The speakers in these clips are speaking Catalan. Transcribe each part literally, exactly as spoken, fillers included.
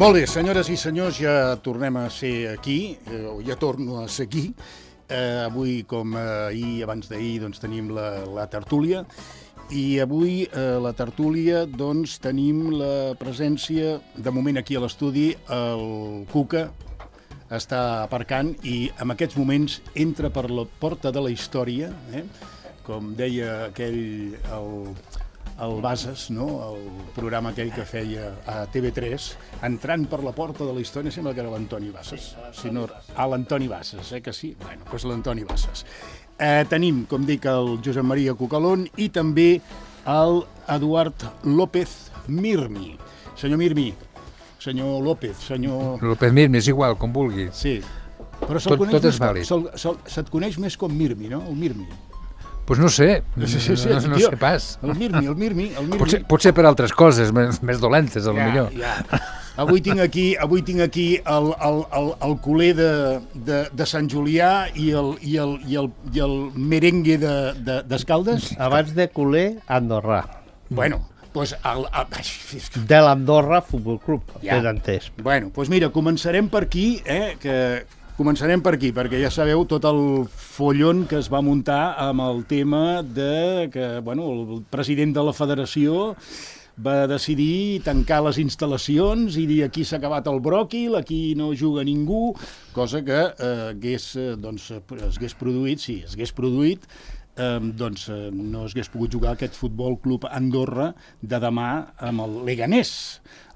Molt bé, senyores i senyors, ja tornem a ser aquí, eh, ja torno a ser aquí. Eh, avui, com ahir, abans d'ahir, doncs tenim la, la tertúlia. I avui a la tertúlia doncs, tenim la presència, de moment aquí a l'estudi, el Cuca està aparcant i en aquests moments entra per la porta de la història, eh? Com deia aquell, el, el Bases, no? El programa aquell que feia a T V tres, entrant per la porta de la història, sembla que era l'Antoni Bases. Si no, ah, l'Antoni Bases, eh que sí? Bueno, doncs l'Antoni Bases. Eh, tenim, com dic, el Josep Maria Cucalón i també el Eduard López Mirmi. Senyor Mirmi, senyor López, senyor... López Mirmi, és igual, com vulgui. Sí, però se'l tot, coneix tot és més, vàlid. se'l, se'l, se't coneix més com Mirmi, no? El Mirmi. Doncs pues no sé, Sí, sí, sí, no, no tio, sé pas. El Mirmi, el Mirmi, el Mirmi. Potser, potser per altres coses, més, més dolentes, a lo ja, millor. Ja. Avui tinc aquí, avui tinc aquí el, el, el, el culer de, de, de Sant Julià i el, i el, i el, i el merengue d'Escaldes. De, Abans de culer, andorrà. Bueno, doncs... El, el, de l'Andorra Futbol Club, ja. ben entès. Bueno, doncs mira, començarem per aquí, eh, que... Començarem per aquí, perquè ja sabeu tot el follon que es va muntar amb el tema de que, bueno, el president de la federació va decidir tancar les instal·lacions i dir aquí s'ha acabat el bròquil, aquí no juga ningú, cosa que eh, hagués, doncs, es hagués produït, sí, es hagués produït, eh, doncs eh, no es hagués pogut jugar aquest Futbol Club Andorra de demà amb el Leganés.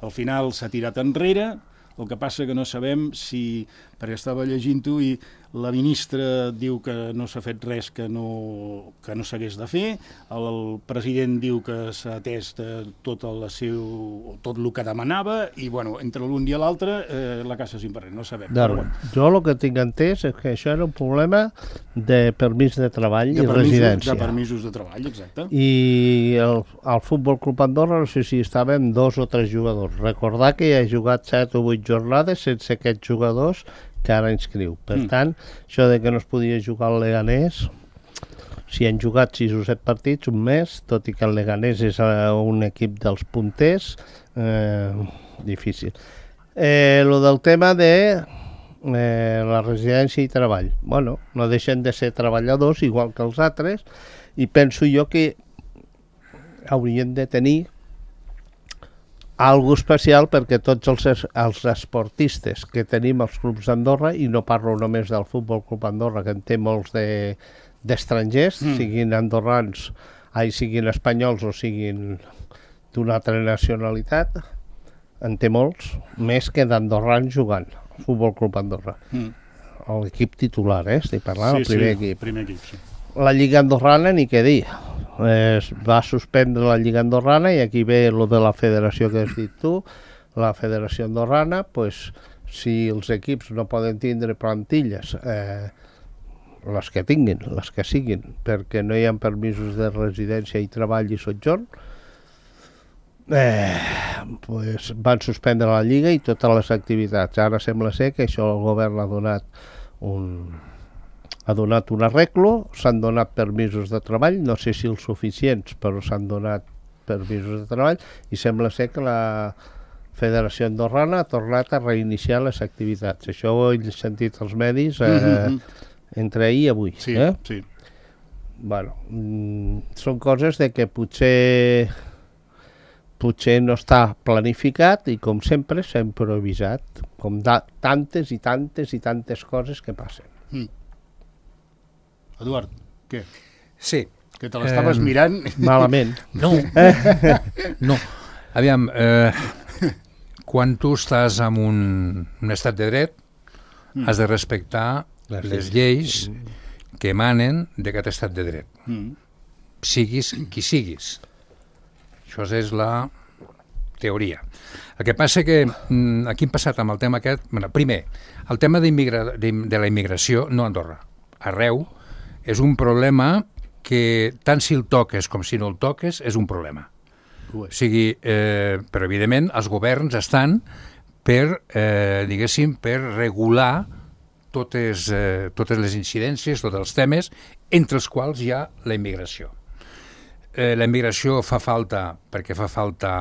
Al final s'ha tirat enrere. El que passa que no sabem si, perquè estava llegint-ho i la ministra diu que no s'ha fet res que no, que no s'hagués de fer, el, el president diu que s'ha atès tot el seu, tot el que demanava i, bueno, entre l'un i l'altre eh, la caça sin barrer, no sabem. No, Però, bueno. Jo el que tinc entès és que això era un problema de permís de treball de i permisos, residència. De permisos de treball, exacte. I el, el Futbol Club Andorra, no sé si estaven dos o tres jugadors. Recordar que hi ha jugat set o vuit jornades sense aquests jugadors que ara inscriu. Per mm. tant, això de que no es podia jugar al Leganés, si han jugat sis o set partits, un mes, tot i que el Leganés és un equip dels punters, eh, difícil. Eh, lo del tema de eh, la residència i treball. Bueno, no deixen de ser treballadors igual que els altres i penso jo que haurien de tenir algo especial perquè tots els, els esportistes que tenim als clubs d'Andorra, i no parlo només del Futbol Club Andorra, que en té molts de, d'estrangers, mm. siguin andorrans, ai, siguin espanyols o siguin d'una altra nacionalitat, en té molts, més que d'andorrans jugant al Futbol Club Andorra. Mm. L'equip titular, eh? Estic parlant, sí, el primer sí, equip. Primer equip sí. La Lliga Andorrana, ni què dir. Es va suspendre la Lliga Andorrana i aquí ve lo de la federació que has dit tu, la federació andorrana, pues, si els equips no poden tindre plantilles, eh, les que tinguin, les que siguin, perquè no hi ha permisos de residència i treball i sotjorn, eh, pues, van suspendre la Lliga i totes les activitats. Ara sembla ser que això el govern ha donat un... ha donat un arreglo, s'han donat permisos de treball, no sé si els suficients, però s'han donat permisos de treball i sembla ser que la Federació Andorrana ha tornat a reiniciar les activitats. Això ho he sentit als medis eh, mm-hmm. entre ahir i avui. Sí, eh? sí. Bueno, mm, són coses de que potser potser no està planificat i com sempre s'ha improvisat, com da, tantes i tantes i tantes coses que passen. Mm. Eduard, què? Sí. Que te l'estaves eh, mirant... Malament. No, no. Aviam, eh, quan tu estàs en un, un estat de dret, mm. has de respectar les, les lleis que emanen d'aquest estat de dret. Mm. Siguis qui siguis. Això és la teoria. El que passa que aquí hem passat amb el tema aquest... Bueno, primer, el tema de, de la immigració, no a Andorra, arreu, és un problema que tant si el toques com si no el toques és un problema. O sigui, eh, però evidentment els governs estan per, eh, diguéssim, per regular totes, eh, totes les incidències, tots els temes, entre els quals hi ha la immigració. Eh, la immigració fa falta perquè fa falta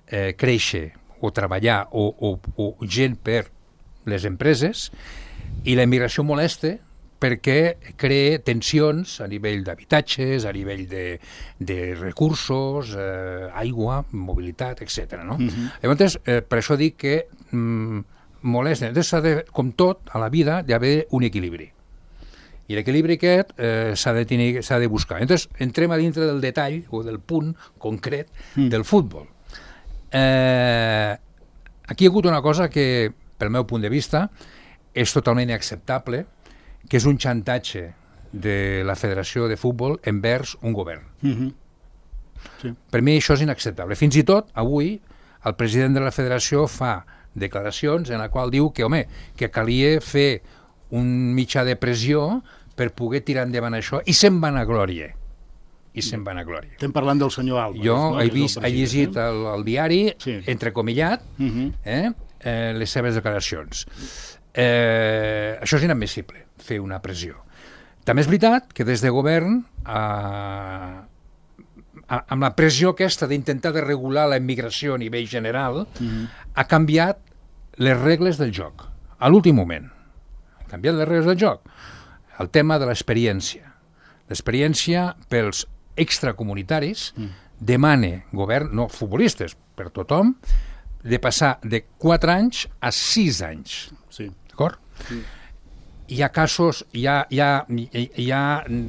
eh, créixer o treballar o, o, o gent per les empreses, i la immigració molesta perquè crea tensions a nivell d'habitatges, a nivell de, de recursos, eh, aigua, mobilitat, etcètera. No? Uh-huh. Llavors, eh, per això dic que mm, molesta. Llavors, s'ha de, com tot, a la vida, hi ha d'haver un equilibri. I l'equilibri aquest eh, s'ha de, tenir, s'ha de buscar. Llavors, entrem a dintre del detall o del punt concret mm. del futbol. Eh, aquí hi ha hagut una cosa que, pel meu punt de vista, és totalment inacceptable, que és un xantatge de la Federació de Futbol envers un govern. Mm-hmm. Sí. Per mi això és inacceptable. Fins i tot, avui, el president de la Federació fa declaracions en la qual diu que, home, que calia fer un mitjà de pressió per poder tirar endavant això, i se'n van a glòria. I se'n van a glòria. Estem parlant del senyor Álvarez. Jo no? he, vist, he llegit el, el diari, sí. entrecomillat, uh-huh. eh, eh, les seves declaracions. Eh, això és inadmissible, fer una pressió. També és veritat que des de govern, eh, amb la pressió aquesta d'intentar de regular la immigració a nivell general, uh-huh. ha canviat les regles del joc, a l'últim moment. Ha canviat les regles del joc. El tema de l'experiència. L'experiència pels extracomunitaris mm. demana govern, no futbolistes, per tothom, de passar de quatre anys a sis anys. Sí. D'acord? Sí. Hi ha casos, hi ha, hi ha, hi ha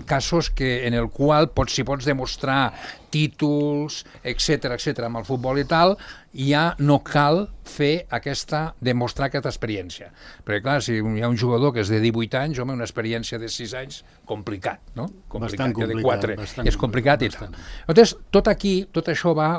casos que, en el qual pots, si pots demostrar títols, etcètera, etcètera, amb el futbol i tal, ja no cal fer aquesta, demostrar aquesta experiència. Perquè, clar, si hi ha un jugador que és de divuit anys, home, una experiència de sis anys, complicat, no? Complicat, bastant complicat. De quatre, bastant és complicat bastant. I tal. Llavors, tot aquí, tot això va,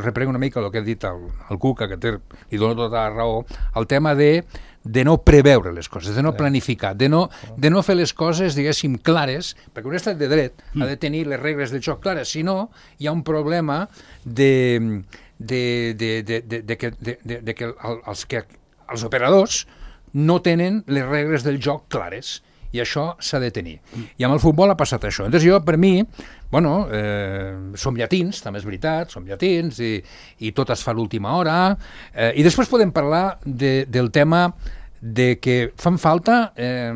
reprego una mica el que ha dit el, el Cuca, que té, li dona tota la raó, el tema de de no preveure les coses, de no planificar, de no, de no fer les coses, diguéssim, clares, perquè un estat de dret ha de tenir les regles del joc clares, si no, hi ha un problema de, de, de, de, de, de, que, de, de, de que, els, que els operadors no tenen les regles del joc clares, i això s'ha de tenir. I amb el futbol ha passat això. Llavors jo, per mi, bueno, eh, som llatins, també és veritat, som llatins, i, i tot es fa a l'última hora, eh, i després podem parlar de, del tema de que fan falta eh,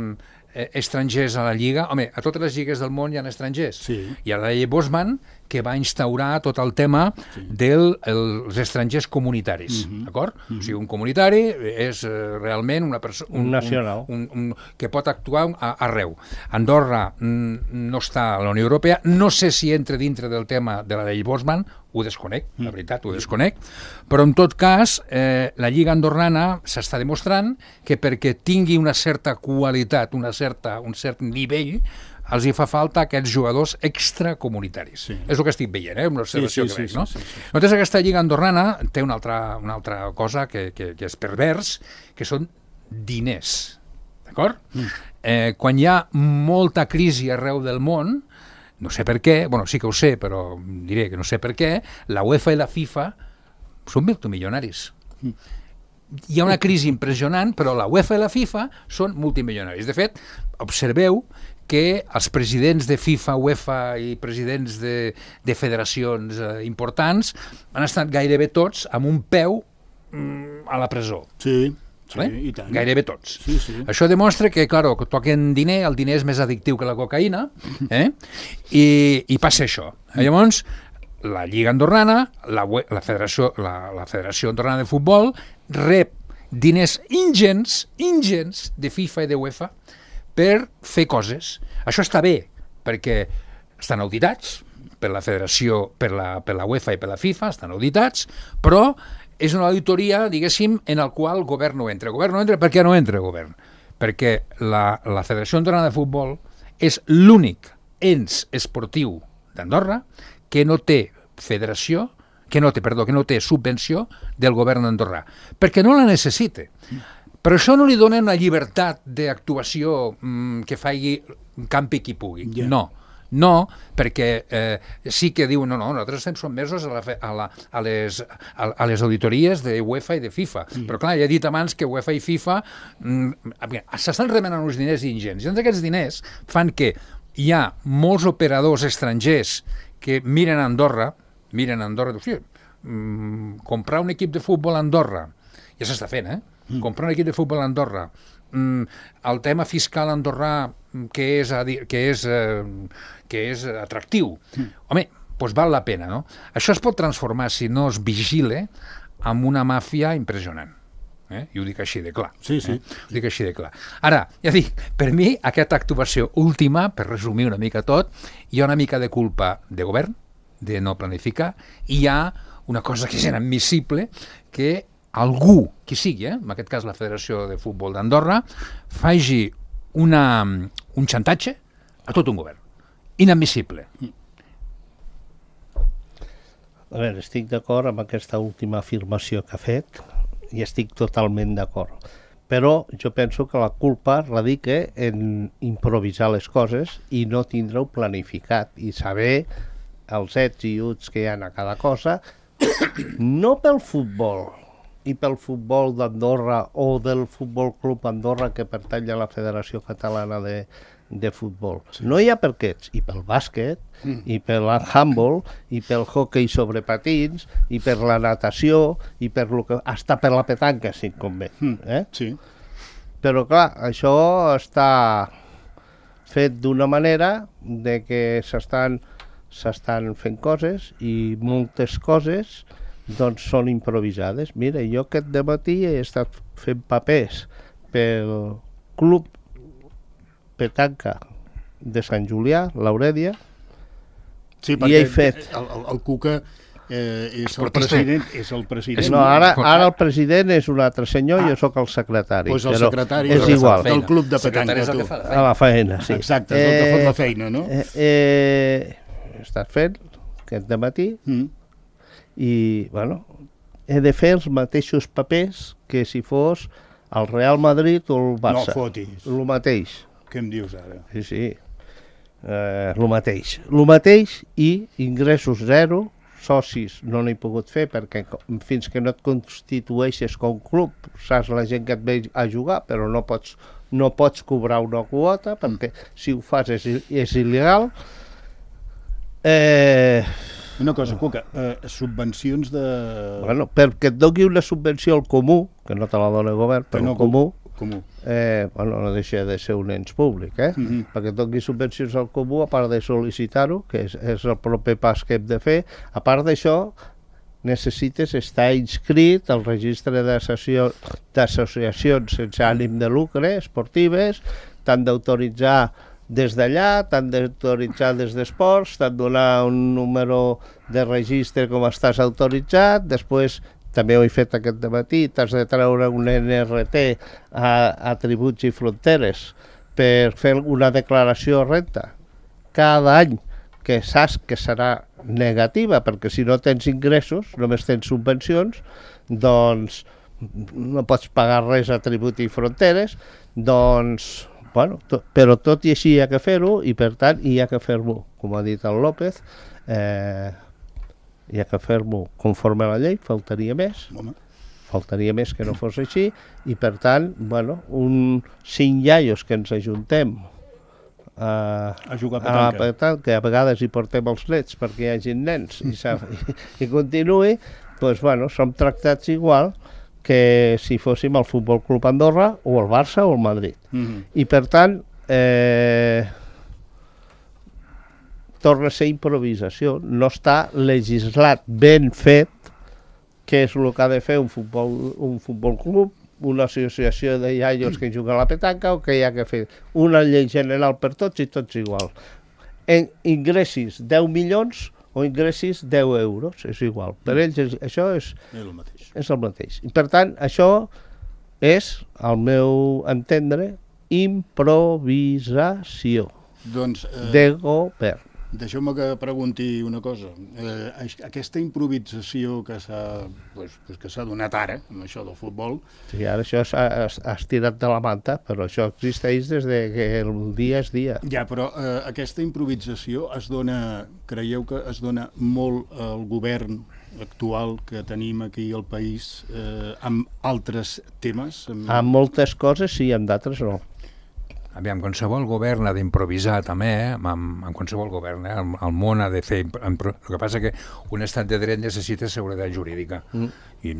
estrangers a la Lliga. Home, a totes les lligues del món hi ha estrangers. Sí. Hi ha la llei Bosman, que va instaurar tot el tema sí. dels el, estrangers comunitaris, uh-huh. d'acord? Uh-huh. O sigui, un comunitari és uh, realment una persona... Un, un nacional. Un, un, un, que pot actuar a, arreu. Andorra mm, no està a la Unió Europea, no sé si entra dintre del tema de la llei Bosman, ho desconec, la veritat, ho desconec, però en tot cas, eh, la Lliga Andorrana s'està demostrant que perquè tingui una certa qualitat, una certa, un cert nivell, els hi fa falta aquests jugadors extracomunitaris. Sí. És el que estic veient, eh? Una observació sí, sí, que veig, sí, no? Sí, sí, sí. Llavors aquesta Lliga Andorrana té una altra, una altra cosa que, que, que és pervers, que són diners, d'acord? Mm. Eh, quan hi ha molta crisi arreu del món, no sé per què, bueno, sí que ho sé, però diré que no sé per què, la UEFA i la FIFA són multimilionaris. Mm. Hi ha una crisi impressionant, però la UEFA i la FIFA són multimilionaris. De fet, observeu que els presidents de FIFA, UEFA i presidents de, de federacions eh, importants han estat gairebé tots amb un peu mm, a la presó. Sí, sí, eh? I tant. Gairebé tots. Sí, sí. Això demostra que, clar, que toquen diner, el diner és més addictiu que la cocaïna, eh? I, i passa això. Llavors, la Lliga Andorrana, la, la, Federació, la, la Federació Andorrana de Futbol, rep diners ingents, ingents de FIFA i de UEFA per fer coses. Això està bé, perquè estan auditats per la Federació, per la, per la UEFA i per la FIFA, estan auditats, però és una auditoria, diguéssim, en el qual el govern no entra. El govern no entra, per què no entra el govern? Perquè la, la Federació Andorrana de Futbol és l'únic ens esportiu d'Andorra que no té federació, que no té, perdó, que no té subvenció del govern d'Andorra, perquè no la necessita. Però això no li dona una llibertat d'actuació mmm, que faci campi qui pugui. Yeah. No, no, perquè eh, sí que diu, no, no, nosaltres estem sotmesos a, la, a, la, a, les, a, a les auditories de UEFA i de FIFA. Mm. Però clar, ja he dit abans que UEFA i FIFA mm, s'estan remenant uns diners ingents. I doncs aquests diners fan que hi ha molts operadors estrangers que miren a Andorra, miren a Andorra, sí, mm, comprar un equip de futbol a Andorra, ja s'està fent, eh? Mm. Comprar un equip de futbol a Andorra, mm, el tema fiscal andorrà que és, que és, eh, que és atractiu, mm. home, doncs val la pena, no? Això es pot transformar, si no es vigila, en una màfia impressionant. Eh? I ho dic així de clar. Sí, sí. Eh? Ho dic així de clar. Ara, ja dic, per mi, aquesta actuació última, per resumir una mica tot, hi ha una mica de culpa de govern, de no planificar, i hi ha una cosa que és inadmissible, que algú, qui sigui, eh? En aquest cas la Federació de Futbol d'Andorra, faci una, un xantatge a tot un govern. Inadmissible. A veure, estic d'acord amb aquesta última afirmació que ha fet, i estic totalment d'acord. Però jo penso que la culpa radica en improvisar les coses i no tindre-ho planificat i saber els ets i uts que hi ha a cada cosa, no pel futbol i pel futbol d'Andorra o del Futbol Club Andorra que pertany a la Federació Catalana de, de Futbol. Sí. No hi ha per aquests, i pel bàsquet, mm. i pel handball, i pel hoquei sobre patins, i per la natació, i per lo que, hasta per la petanca, si et convé. Mm. Eh? Sí. Però clar, això està fet d'una manera de que s'estan s'estan fent coses i moltes coses doncs són improvisades. Mira, jo aquest dematí he estat fent papers pel Club Petanca de Sant Julià, l'Aurèdia, sí, i he fet... El, el, el Cuca eh, és, el president, és el president. No, ara, ara el president és un altre senyor i ah, jo sóc el secretari. Doncs el però secretari és igual. Del Club de Petanca, tu. A la feina, sí. Exacte, és el que fot la feina, no? Eh, eh, he estat fent aquest dematí mm. i, bueno, he de fer els mateixos papers que si fos el Real Madrid o el Barça. No fotis. El mateix. Què em dius ara? Sí, sí. Eh, el mateix. El mateix i ingressos zero, socis no n'he pogut fer perquè fins que no et constitueixes com club saps la gent que et ve a jugar, però no pots, no pots cobrar una quota perquè si ho fas és, és il·legal. Eh... Una cosa, Cuca, eh, subvencions de... Bueno, perquè et doni una subvenció al comú, que no te la dona el govern, però no, el comú, comú. Eh, bueno, no deixa de ser un ens públic, eh? Mm-hmm. Perquè et doni subvencions al comú, a part de sol·licitar-ho, que és, és el proper pas que hem de fer, a part d'això, necessites estar inscrit al registre d'associacions sense ànim de lucre, esportives, t'han d'autoritzar des d'allà, t'han d'autoritzar des d'esports, t'han de donar un número de registre com estàs autoritzat, després, també ho he fet aquest dematí, t'has de treure un N R T a, a tributs i fronteres per fer una declaració de renta cada any, que saps que serà negativa, perquè si no tens ingressos, només tens subvencions, doncs no pots pagar res a tribut i fronteres, doncs... Bueno, to, però tot i així hi ha que fer-ho i per tant hi ha que fer-ho, com ha dit el López, eh, hi ha que fer-ho conforme a la llei, faltaria més, Home. faltaria més que no fos així i per tant, bueno, un cinc iaios que ens ajuntem a, a jugar a petanca. a la petanca, que a vegades hi portem els nets perquè hi hagi nens i, i, i continuï, doncs bueno, som tractats igual que si fóssim el Futbol Club Andorra o el Barça o el Madrid. Mm-hmm. I per tant, eh, torna a ser improvisació. No està legislat ben fet, que és el que ha de fer un futbol, un futbol club, una associació de iaios que juguen a la petanca, o que hi ha que fer una llei general per tots i tots igual. En ingressis deu milions o ingressis deu euros, és igual. Per ells és, això és, és, el mateix. és el mateix. I per tant, això és, al meu entendre, improvisació doncs, eh, de govern. Deixeu-me que pregunti una cosa. Eh, aquesta improvisació que s'ha pues, pues que s'ha donat ara, amb això del futbol... Sí, ara això s'ha estirat de la manta, però això existeix des de que el dia és dia. Ja, però eh, aquesta improvisació es dona, creieu que es dona molt al govern actual que tenim aquí al país eh, amb altres temes? Amb... Amb moltes coses sí, amb d'altres no. aviam, qualsevol govern ha d'improvisar també, eh? amb, amb qualsevol govern, eh? el, el món ha de fer... El que passa que un estat de dret necessita seguretat jurídica, mm. i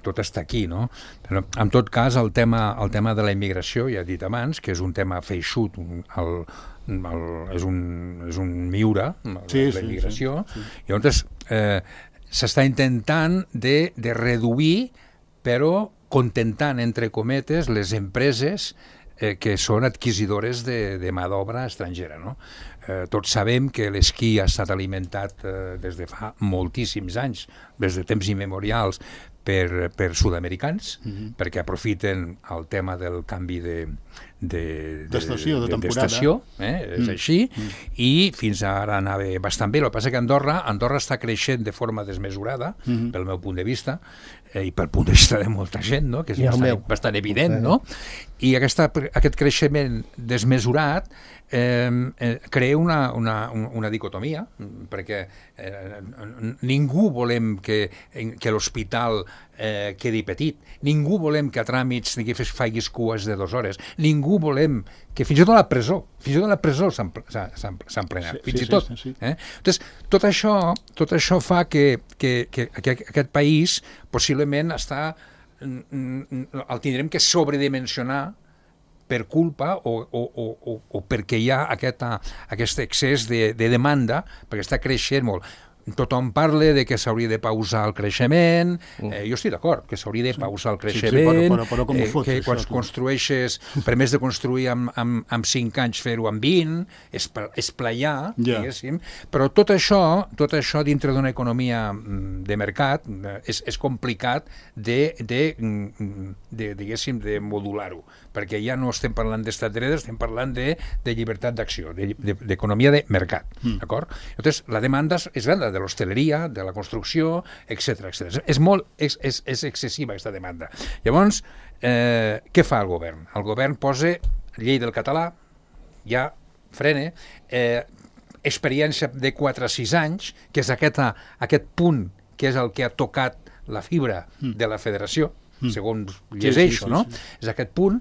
tot està aquí, no? Però, en tot cas, el tema, el tema de la immigració, ja he dit abans, que és un tema feixut, el, el, és, un, és un miure, sí, la immigració, sí, sí, sí. I llavors eh, s'està intentant de, de reduir, però contentant, entre cometes, les empreses eh, que són adquisidores de, de mà d'obra estrangera, no? Eh, tots sabem que l'esquí ha estat alimentat eh, des de fa moltíssims anys, des de temps immemorials, per, per sud-americans, mm-hmm. perquè aprofiten el tema del canvi de, de, d'estació, de, de, de temporada. D'estació, eh? És mm. així, mm. i fins ara anava bastant bé. El que passa que Andorra, Andorra està creixent de forma desmesurada, mm-hmm. pel meu punt de vista, eh, i pel punt de vista de molta gent, no? Que és bastant, bastant evident, no? I aquesta, aquest creixement desmesurat eh, eh, crea una, una, una dicotomia, perquè eh, ningú volem que, que l'hospital eh, quedi petit, ningú volem que a tràmits que facis cues de dues hores, ningú volem que fins i tot a la presó, fins i tot a la presó s'han plenat, sí, fins sí, i tot. Sí, sí, sí. Eh? Entonces, tot això, tot això fa que, que, que, que aquest país possiblement està, el tindrem que sobredimensionar per culpa o, o, o, o perquè hi ha aquesta, aquest excés de, de demanda, perquè està creixent molt. Tothom parla de que s'hauria de pausar el creixement, eh, jo estic d'acord, que s'hauria de pausar el creixement, sí, sí, però, però, però com ho fots, eh, que quan construeixes, per més de construir amb, amb, amb cinc anys, fer-ho amb vint, esplaiar, yeah. diguéssim, però tot això, tot això dintre d'una economia de mercat és, és complicat de, de, de, diguéssim, de modular-ho, perquè ja no estem parlant d'estat de dret, estem parlant de, de llibertat d'acció, d'economia de, de mercat, mm. d'acord? Llavors, la demanda és gran, de l'hostaleria, de la construcció, etcètera, etcètera. És molt, és, és, és excessiva aquesta demanda. Llavors, eh, què fa el govern? El govern posa llei del català, ja frena, eh, experiència de quatre a sis anys, que és aquest, aquest punt que és el que ha tocat la fibra de la federació, Mm. segons llegeixo, sí, sí, sí, no? Sí. És aquest punt,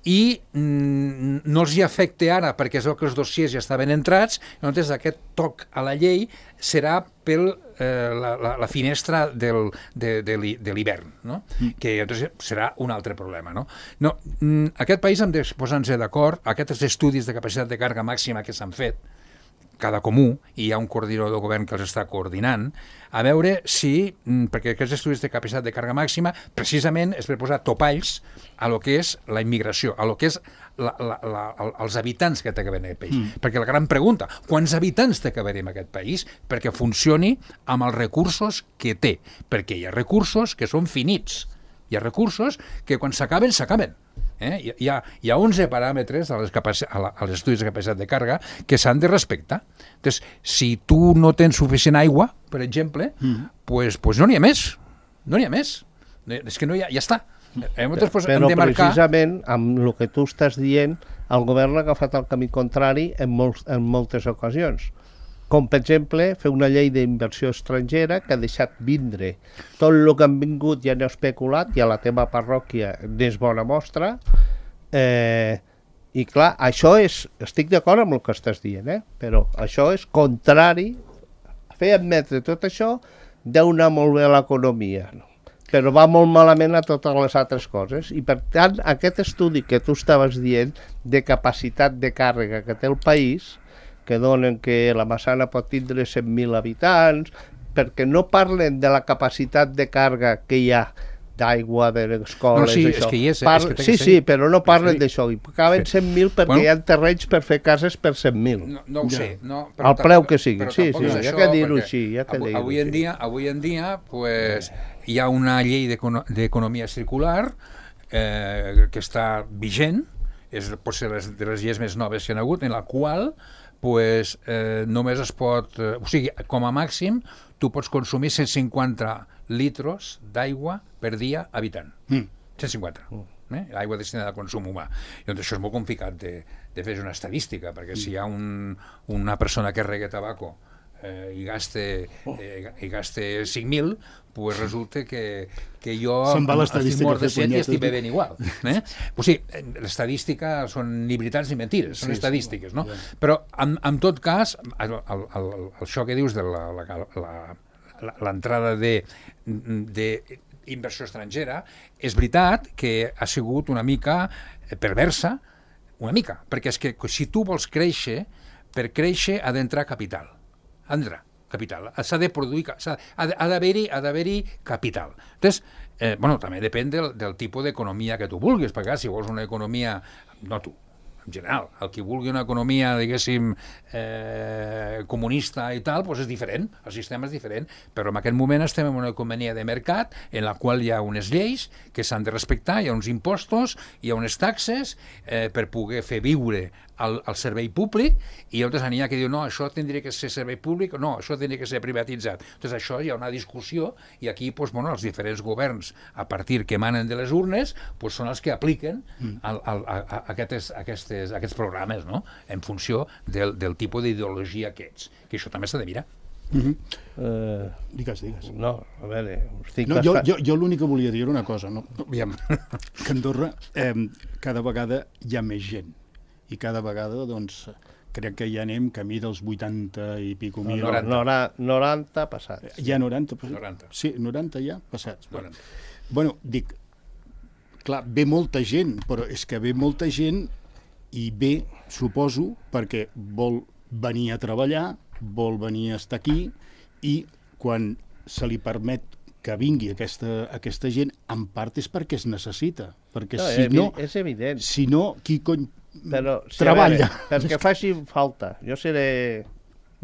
i mm, no els hi afecta ara perquè és que els dossiers ja estaven entrats, llavors aquest toc a la llei serà per eh, la, la, la finestra del, de, de, de l'hivern, no? Mm. Que llavors serà un altre problema, no? No, mm, aquest país hem de posar-nos d'acord, aquests estudis de capacitat de càrrega màxima que s'han fet, cada comú, i hi ha un coordinador del govern que els està coordinant, a veure si, perquè aquests estudis de capacitat de càrrega màxima precisament és per posar topalls a lo que és la immigració, a lo que és la, la, la, els habitants que té que haver en aquest país. Mm. Perquè la gran pregunta, quants habitants té que haver en aquest país perquè funcioni amb els recursos que té? Perquè hi ha recursos que són finits, hi ha recursos que quan s'acaben, s'acaben. Eh? Hi, hi, ha, hi ha onze paràmetres a les, a la, a les estudis de capacitat de càrrega que s'han de respectar. Entonces, si tu no tens suficient aigua, per exemple, mm. pues, pues no n'hi ha més. No n'hi ha més. És que no hi ha, ja està. Eh, però pues, però de marcar... precisament, amb el que tu estàs dient, el govern ha agafat el camí contrari en, molts, en moltes ocasions. Com, per exemple, fer una llei d'inversió estrangera que ha deixat vindre tot el que han vingut i han especulat, i a la teva parròquia n'és bona mostra, eh, i clar, això és, estic d'acord amb el que estàs dient, eh? Però això és contrari, fer admetre tot això deu anar molt bé a l'economia, no? Però va molt malament a totes les altres coses, i per tant aquest estudi que tu estaves dient de capacitat de càrrega que té el país, que donen que la Massana pot tindre cent mil habitants, perquè no parlen de la capacitat de càrrega que hi ha d'aigua, d'escoles, no, sí, això. És que hi és, Parle... és que sí, sí, però no parlen d'això. I acaben sí. cent mil perquè bueno, hi ha terrenys per fer cases per cent mil. No, no ho sé. No, al preu que sigui. Sí, sí, ja que dir-ho així. Ja que avui, avui en dia, avui en dia pues, hi ha una llei d'economia circular eh, que està vigent, és potser de les lleis més noves que hi ha hagut, en la qual pues, eh, només es pot, eh, o sigui, com a màxim, tu pots consumir cent cinquanta litres d'aigua per dia habitant. Mm. cent cinquanta. Mm. Eh? Aigua destinada al consum humà. I doncs això és molt complicat de, de fer una estadística, perquè mm. si hi ha un, una persona que regga tabaco eh, i gaste, eh, i gaste cinc mil, pues resulta que, que jo estic mort de set i estic bevent igual. Eh? O sigui, l'estadística són ni veritats ni mentires, són sí, estadístiques, no? Sí. Però, en, en tot cas, el, el, el, això que dius de l'entrada de, de inversió estrangera, és veritat que ha sigut una mica perversa, una mica, perquè és que si tu vols créixer, per créixer ha d'entrar capital. Ha d'entrar capital. S'ha de produir, ha d'haver-hi ha d'haver-hi capital. Entonces, eh, bueno, també depèn del, del tipus d'economia que tu vulguis, perquè si vols una economia, no tu, en general, el que vulgui una economia, diguéssim, eh, comunista i tal, doncs és diferent, el sistema és diferent, però en aquest moment estem en una economia de mercat en la qual hi ha unes lleis que s'han de respectar, hi ha uns impostos, hi ha unes taxes eh, per poder fer viure al, al servei públic, i llavors n'hi ha que diu, no, això tindria que ser servei públic, no, això tindria que ser privatitzat. Entonces això hi ha una discussió, i aquí doncs, bueno, els diferents governs, a partir que emanen de les urnes, doncs, són els que apliquen al, al, a, a aquestes, aquestes, aquests programes, no? En funció del, del tipus d'ideologia que ets, que això també s'ha de mirar. Uh -huh. uh, digues, digues. No, a veure... Estic no, jo, jo, jo l'únic que volia dir era una cosa, no? Aviam, que a Andorra eh, cada vegada hi ha més gent, i cada vegada, doncs, crec que ja anem camí dels vuitanta i pico mil. No, noranta. noranta passats. Hi ha noranta passats? noranta. Sí, noranta ja passats. noranta. Bueno, dic, clar, ve molta gent, però és que ve molta gent i ve, suposo, perquè vol venir a treballar, vol venir a estar aquí, i quan se li permet que vingui aquesta, aquesta gent, en part és perquè es necessita. Perquè no, si no... És evident. Si no, qui cony però, si treballa? Veure, perquè faci falta. Jo seré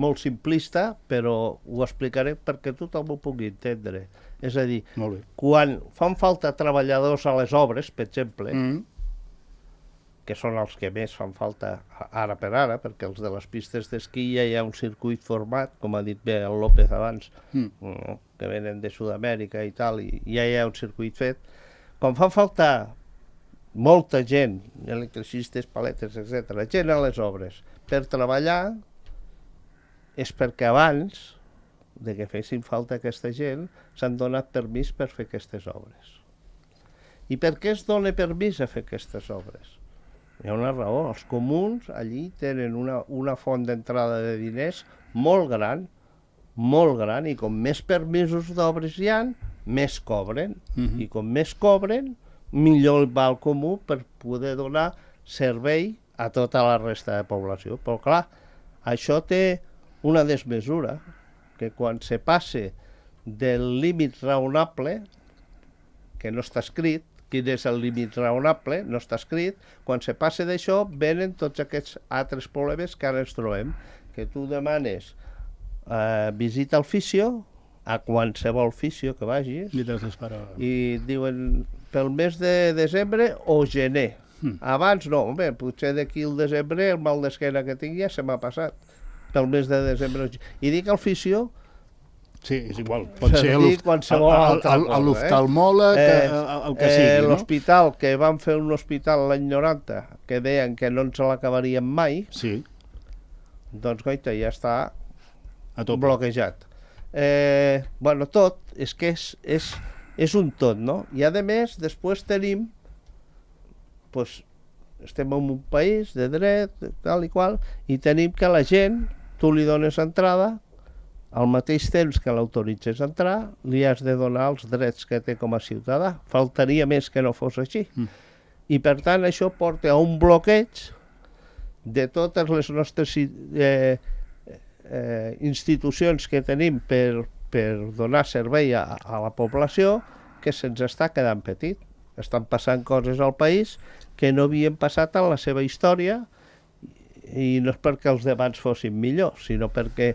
molt simplista, però ho explicaré perquè tothom ho pugui entendre. És a dir, quan fan falta treballadors a les obres, per exemple, mm. que són els que més fan falta ara per ara, perquè els de les pistes d'esquí ja hi ha un circuit format, com ha dit bé el López abans, mm. que venen de Sud-amèrica i tal, i ja hi ha un circuit fet. Quan fan falta molta gent, electricistes, paletes, etcètera, gent a les obres, per treballar, és perquè abans de que fessin falta aquesta gent s'han donat permís per fer aquestes obres. I per què es dona permís a fer aquestes obres? Hi ha una raó. Els comuns allí tenen una, una font d'entrada de diners molt gran, molt gran, i com més permisos d'obres hi ha, més cobren. Uh-huh. I com més cobren, millor va al comú per poder donar servei a tota la resta de població. Però clar, això té una desmesura, que quan se passe del límit raonable, que no està escrit, quin és el límit raonable, no està escrit, quan se passe d'això venen tots aquests altres problemes que ara ens trobem, que tu demanes eh, visita al fisio, a qualsevol fisio que vagis, i, i diuen pel mes de desembre o gener. Hmm. Abans no, home, potser d'aquí al desembre el mal d'esquena que tinc ja se m'ha passat. Pel mes de desembre. I dic al fisio... Sí, és igual. Pot ser l'oftalmòleg, eh, el, el que sigui. Eh, L'hospital, que van fer un hospital l'any noranta, que deien que no ens l'acabarien mai, sí. Doncs, goita, ja està bloquejat. Eh, bueno, tot, és que és, és, és un tot, no? I a més, després tenim, pues, estem en un país de dret, tal i qual, i tenim que la gent, tu li dones entrada, al mateix temps que l'autoritzes a entrar, li has de donar els drets que té com a ciutadà. Faltaria més que no fos així. Mm. I per tant això porta a un bloqueig de totes les nostres eh, eh, institucions que tenim per, per donar servei a, a la població, que se'ns està quedant petit. Estan passant coses al país que no havien passat en la seva història, i no és perquè els debats fossin millors, sinó perquè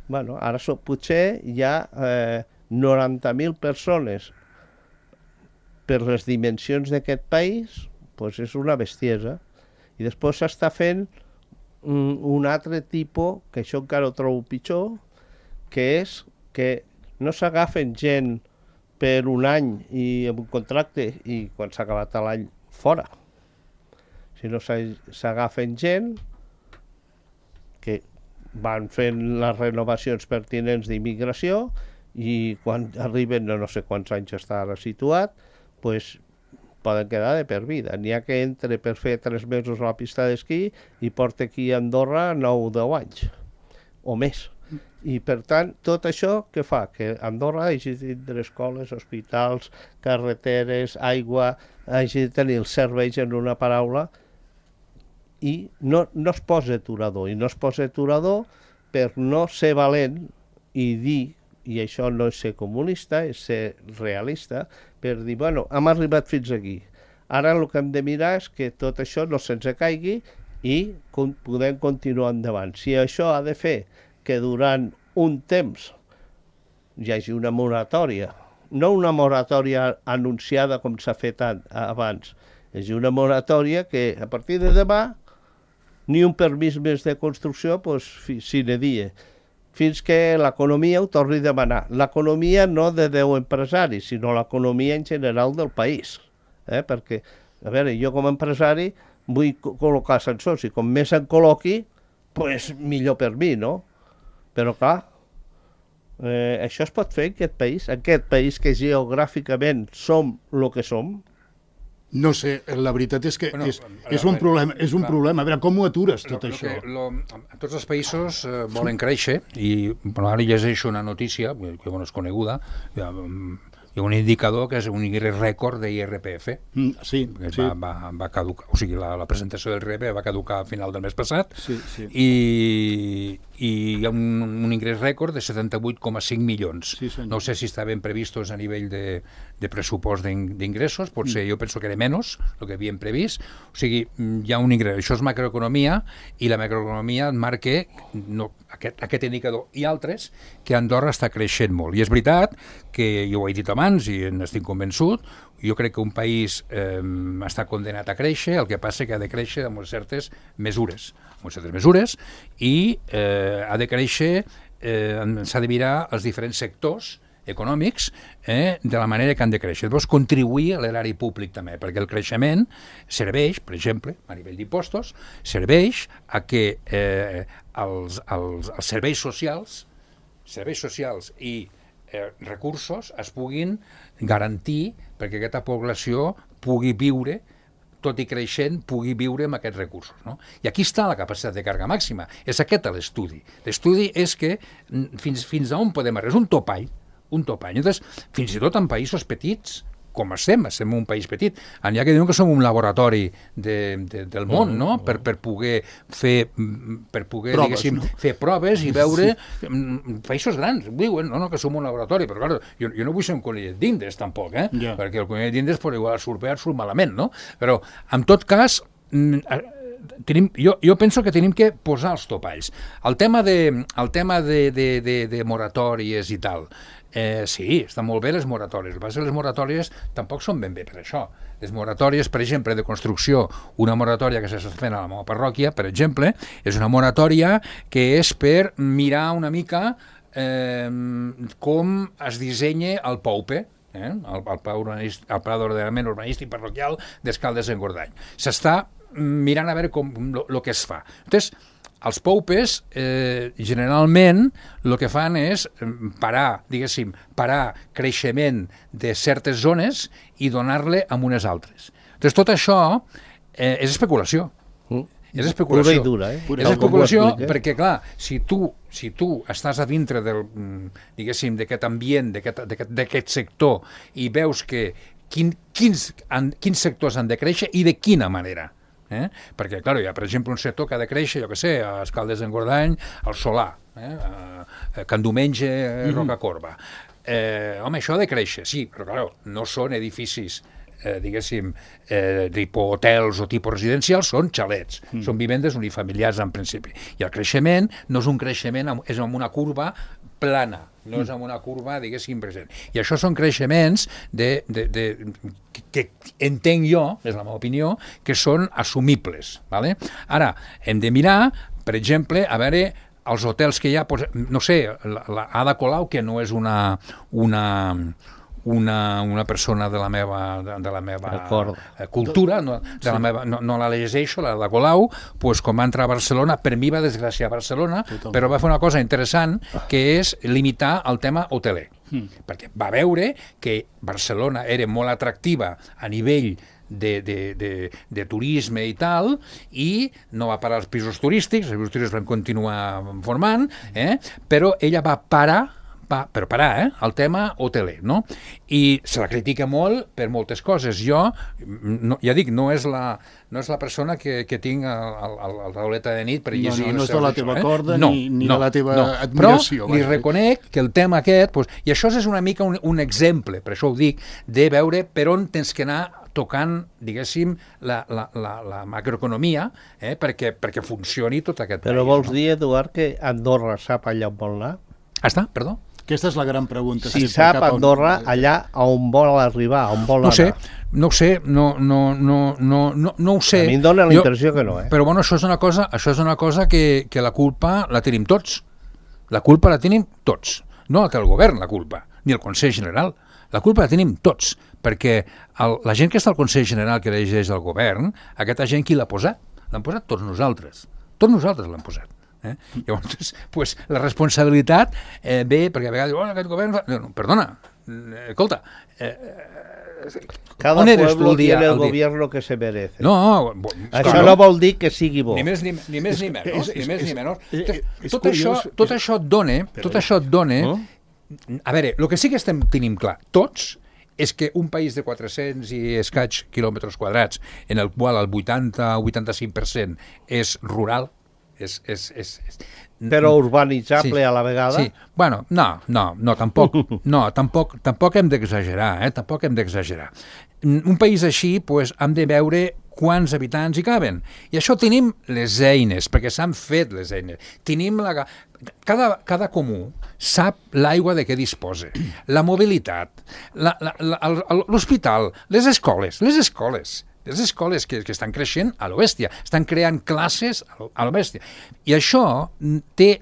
bueno, ara so, potser hi ha eh, noranta mil persones per les dimensions d'aquest país, doncs és una bestiesa. I després s'està fent un, un altre tipus, que això encara ho trobo pitjor, que és que no s'agafen gent per un any i amb un contracte i quan s'ha acabat l'any fora, sinó s'agafen gent que van fent les renovacions pertinents d'immigració i quan arriben, no, no sé quants anys està ara situat, pues, poden quedar de per vida. N'hi ha que entre per fer tres mesos a la pista d'esquí i porta aquí a Andorra nou o deu anys, o més. I, per tant, tot això què fa? Que Andorra hagi de tindre escoles, hospitals, carreteres, aigua, hagi de tenir els serveis en una paraula, i no, no es posa aturador, i no es posa aturador per no ser valent i dir, i això no és ser comunista, és ser realista, per dir, bueno, hem arribat fins aquí. Ara el que hem de mirar és que tot això no se'ns caigui i con podem continuar endavant. Si això ha de fer que durant un temps hi hagi una moratòria, no una moratòria anunciada com s'ha fet abans, és una moratòria que a partir de demà ni un permís més de construcció, doncs, sine die, fins que l'economia ho torni a demanar. L'economia no de deu empresaris, sinó l'economia en general del país. Eh? Perquè, a veure, jo com a empresari vull col·locar ascensors, i com més en col·loqui, doncs millor per mi, no? Però, clar, eh, això es pot fer en aquest país, en aquest país que geogràficament som el que som. No sé, la veritat és que bueno, és, és un problema. És un clar. problema. A veure, com ho atures, tot lo, això? Lo que, lo, tots els països eh, volen créixer i bueno, ara llegeixo una notícia, que bueno, és coneguda, hi ha, hi ha un indicador que és un rècord d'I R P F. Mm, sí, que sí. Va, va, va caducar, o sigui, la, la presentació del I R P F va caducar a final del mes passat, sí, sí. i, i hi ha un, un ingrés rècord de setanta-vuit coma cinc milions. Sí, no sé si estaven previstos a nivell de, de pressupost d'ingressos, potser mm. jo penso que era menys el que havien previst. O sigui, hi ha un ingrés. Això és macroeconomia, i la macroeconomia marca no, aquest, aquest indicador i altres, que Andorra està creixent molt. I és veritat que, jo ho he dit abans i n'estic convençut, jo crec que un país eh, està condenat a créixer, el que passa que ha de créixer amb certes mesures, amb certes mesures, i eh, ha de créixer, eh, s'ha de mirar els diferents sectors econòmics eh, de la manera que han de créixer. Llavors, contribuir a l'erari públic també, perquè el creixement serveix, per exemple, a nivell d'impostos, serveix a que eh, els, els, els serveis socials, serveis socials i eh, recursos es puguin garantir perquè aquesta població pugui viure, tot i creixent, pugui viure amb aquests recursos. No? I aquí està la capacitat de càrrega màxima. És aquest l'estudi. L'estudi és que fins, fins a on podem arribar. És un topall, un topall. Llavors, fins i tot en països petits, com estem, estem en un país petit, n'hi ha que diuen que som un laboratori de, de, del món, no? Per, per poder fer, per poder, proves, diguéssim, no? fer proves i veure sí. països grans, diuen, no, no, que som un laboratori, però clar, jo, jo no vull ser un conillet d'Indes tampoc, eh? Yeah. Perquè el conillet d'Indes per igual surt bé, surt malament, no? Però, en tot cas, tenim, jo, jo penso que tenim que posar els topalls. El tema de, el tema de, de, de, de moratòries i tal, Eh, sí, estan molt bé les moratòries. El que passa és que les moratòries tampoc són ben bé per això. Les moratòries, per exemple, de construcció, una moratòria que s'està fent a la meva parròquia, per exemple, és una moratòria que és per mirar una mica eh, com es dissenya el P O U P E, eh? el, el Pla d'Ordenament Urbanístic Parroquial d'Escaldes-Engordany. S'està mirant a veure com el que es fa. Llavors, els P O U P Es, eh, generalment, el que fan és parar, diguéssim, parar creixement de certes zones i donar-le a unes altres. Doncs tot això eh, és especulació. Mm. És especulació. Pura i dura, eh? És especulació perquè, clar, si tu, si tu estàs a dintre del, diguéssim, d'aquest ambient, d'aquest sector, i veus que quin, quins, quins sectors han de créixer i de quina manera. Eh? Perquè, clar, hi ha, per exemple, un sector que ha de créixer, jo què sé, a Escaldes-Engordany, al Solà, eh? a Can Domenge, mm-hmm. Rocacorba. Eh, home, això ha de créixer, sí, però, clar, no són edificis, eh, diguéssim, eh, tipus hotels o tipus residencials, són xalets, mm. són vivendes unifamiliars en principi. I el creixement no és un creixement, és amb una curva plana, no és amb una curva, diguéssim, present. I això són creixements de, de, de, que, que entenc jo, és la meva opinió, que són assumibles. ¿Vale? Ara, hem de mirar, per exemple, a veure els hotels que hi ha, no sé, la, la Ada Colau, que no és una, una, una, una persona de la meva, de, de la meva D'acord. cultura, no, de la meva, no, no la llegeixo, la de Colau, pues, quan va entrar a Barcelona, per mi va desgraciar Barcelona, Totalment. però va fer una cosa interessant, que és limitar el tema hoteler. Mm. Perquè va veure que Barcelona era molt atractiva a nivell de, de, de, de turisme i tal, i no va parar els pisos turístics, els pisos turístics van continuar formant, eh? Però ella va parar, va, per parar, eh? el tema hoteler, no? I se la critica molt per moltes coses. Jo, no, ja dic, no és la, no és la persona que, que tinc al tauleta de nit per llegir... No, no, no és de la teva corda, no, ni, ni no, de la teva no. admiració. Però li reconec que el tema aquest, pues, i això és una mica un, un exemple, per això ho dic, de veure per on tens que anar tocant, diguéssim, la, la, la, la macroeconomia, eh, perquè, perquè funcioni tot aquest Però país. vols no? dir, Eduard, que Andorra sap allà on vol anar? Ah, està, perdó? Aquesta és la gran pregunta. Si sempre, sap cap a on- Andorra allà on vol arribar, on vol No ho sé, anar. no ho sé, no, no, no, no, no, no ho sé. A mi em dóna la Jo- impressió que no, eh? Però bueno, això és una cosa, això és una cosa que, que la culpa la tenim tots. La culpa la tenim tots. No que el govern la culpa, ni el Consell General. La culpa la tenim tots, perquè el, la gent que està al Consell General que elegeix el govern, aquesta gent qui l'ha posat? L'han posat tots nosaltres. Tots nosaltres l'han posat. Eh? Llavors, pues, la responsabilitat eh, ve, perquè a vegades diu, oh, aquest govern... Fa... No, no, perdona, eh, escolta, eh, Cada on eres tu pueblo el dia- tiene el el dia? gobierno que se merece. no, bo- Això clar, no vol dir que sigui bo. ni més ni, ni, més, ni menys, és- ni més és- ni menys. és- Tot, és tot, curiós, això, tot és- això et dona, tot això et dona, No? a veure, el que sí que estem tenim clar, tots, és que un país de quatre-cents i escaig quilòmetres quadrats, en el qual el vuitanta o vuitanta-cinc per cent és rural, és... és, és, és Però urbanitzable Sí, a la vegada. Sí, bueno, no, no, no, tampoc, no, tampoc, tampoc hem d'exagerar, eh? Tampoc hem d'exagerar. Un país així, pues, hem de veure quants habitants hi caben. I això tenim les eines, perquè s'han fet les eines. Tenim la... Cada, cada comú sap l'aigua de què disposa, la mobilitat, la- la- la- el- l'hospital, les escoles, les escoles, les escoles que, que estan creixent a lo bèstia, estan creant classes a lo, a lo bèstia. I això té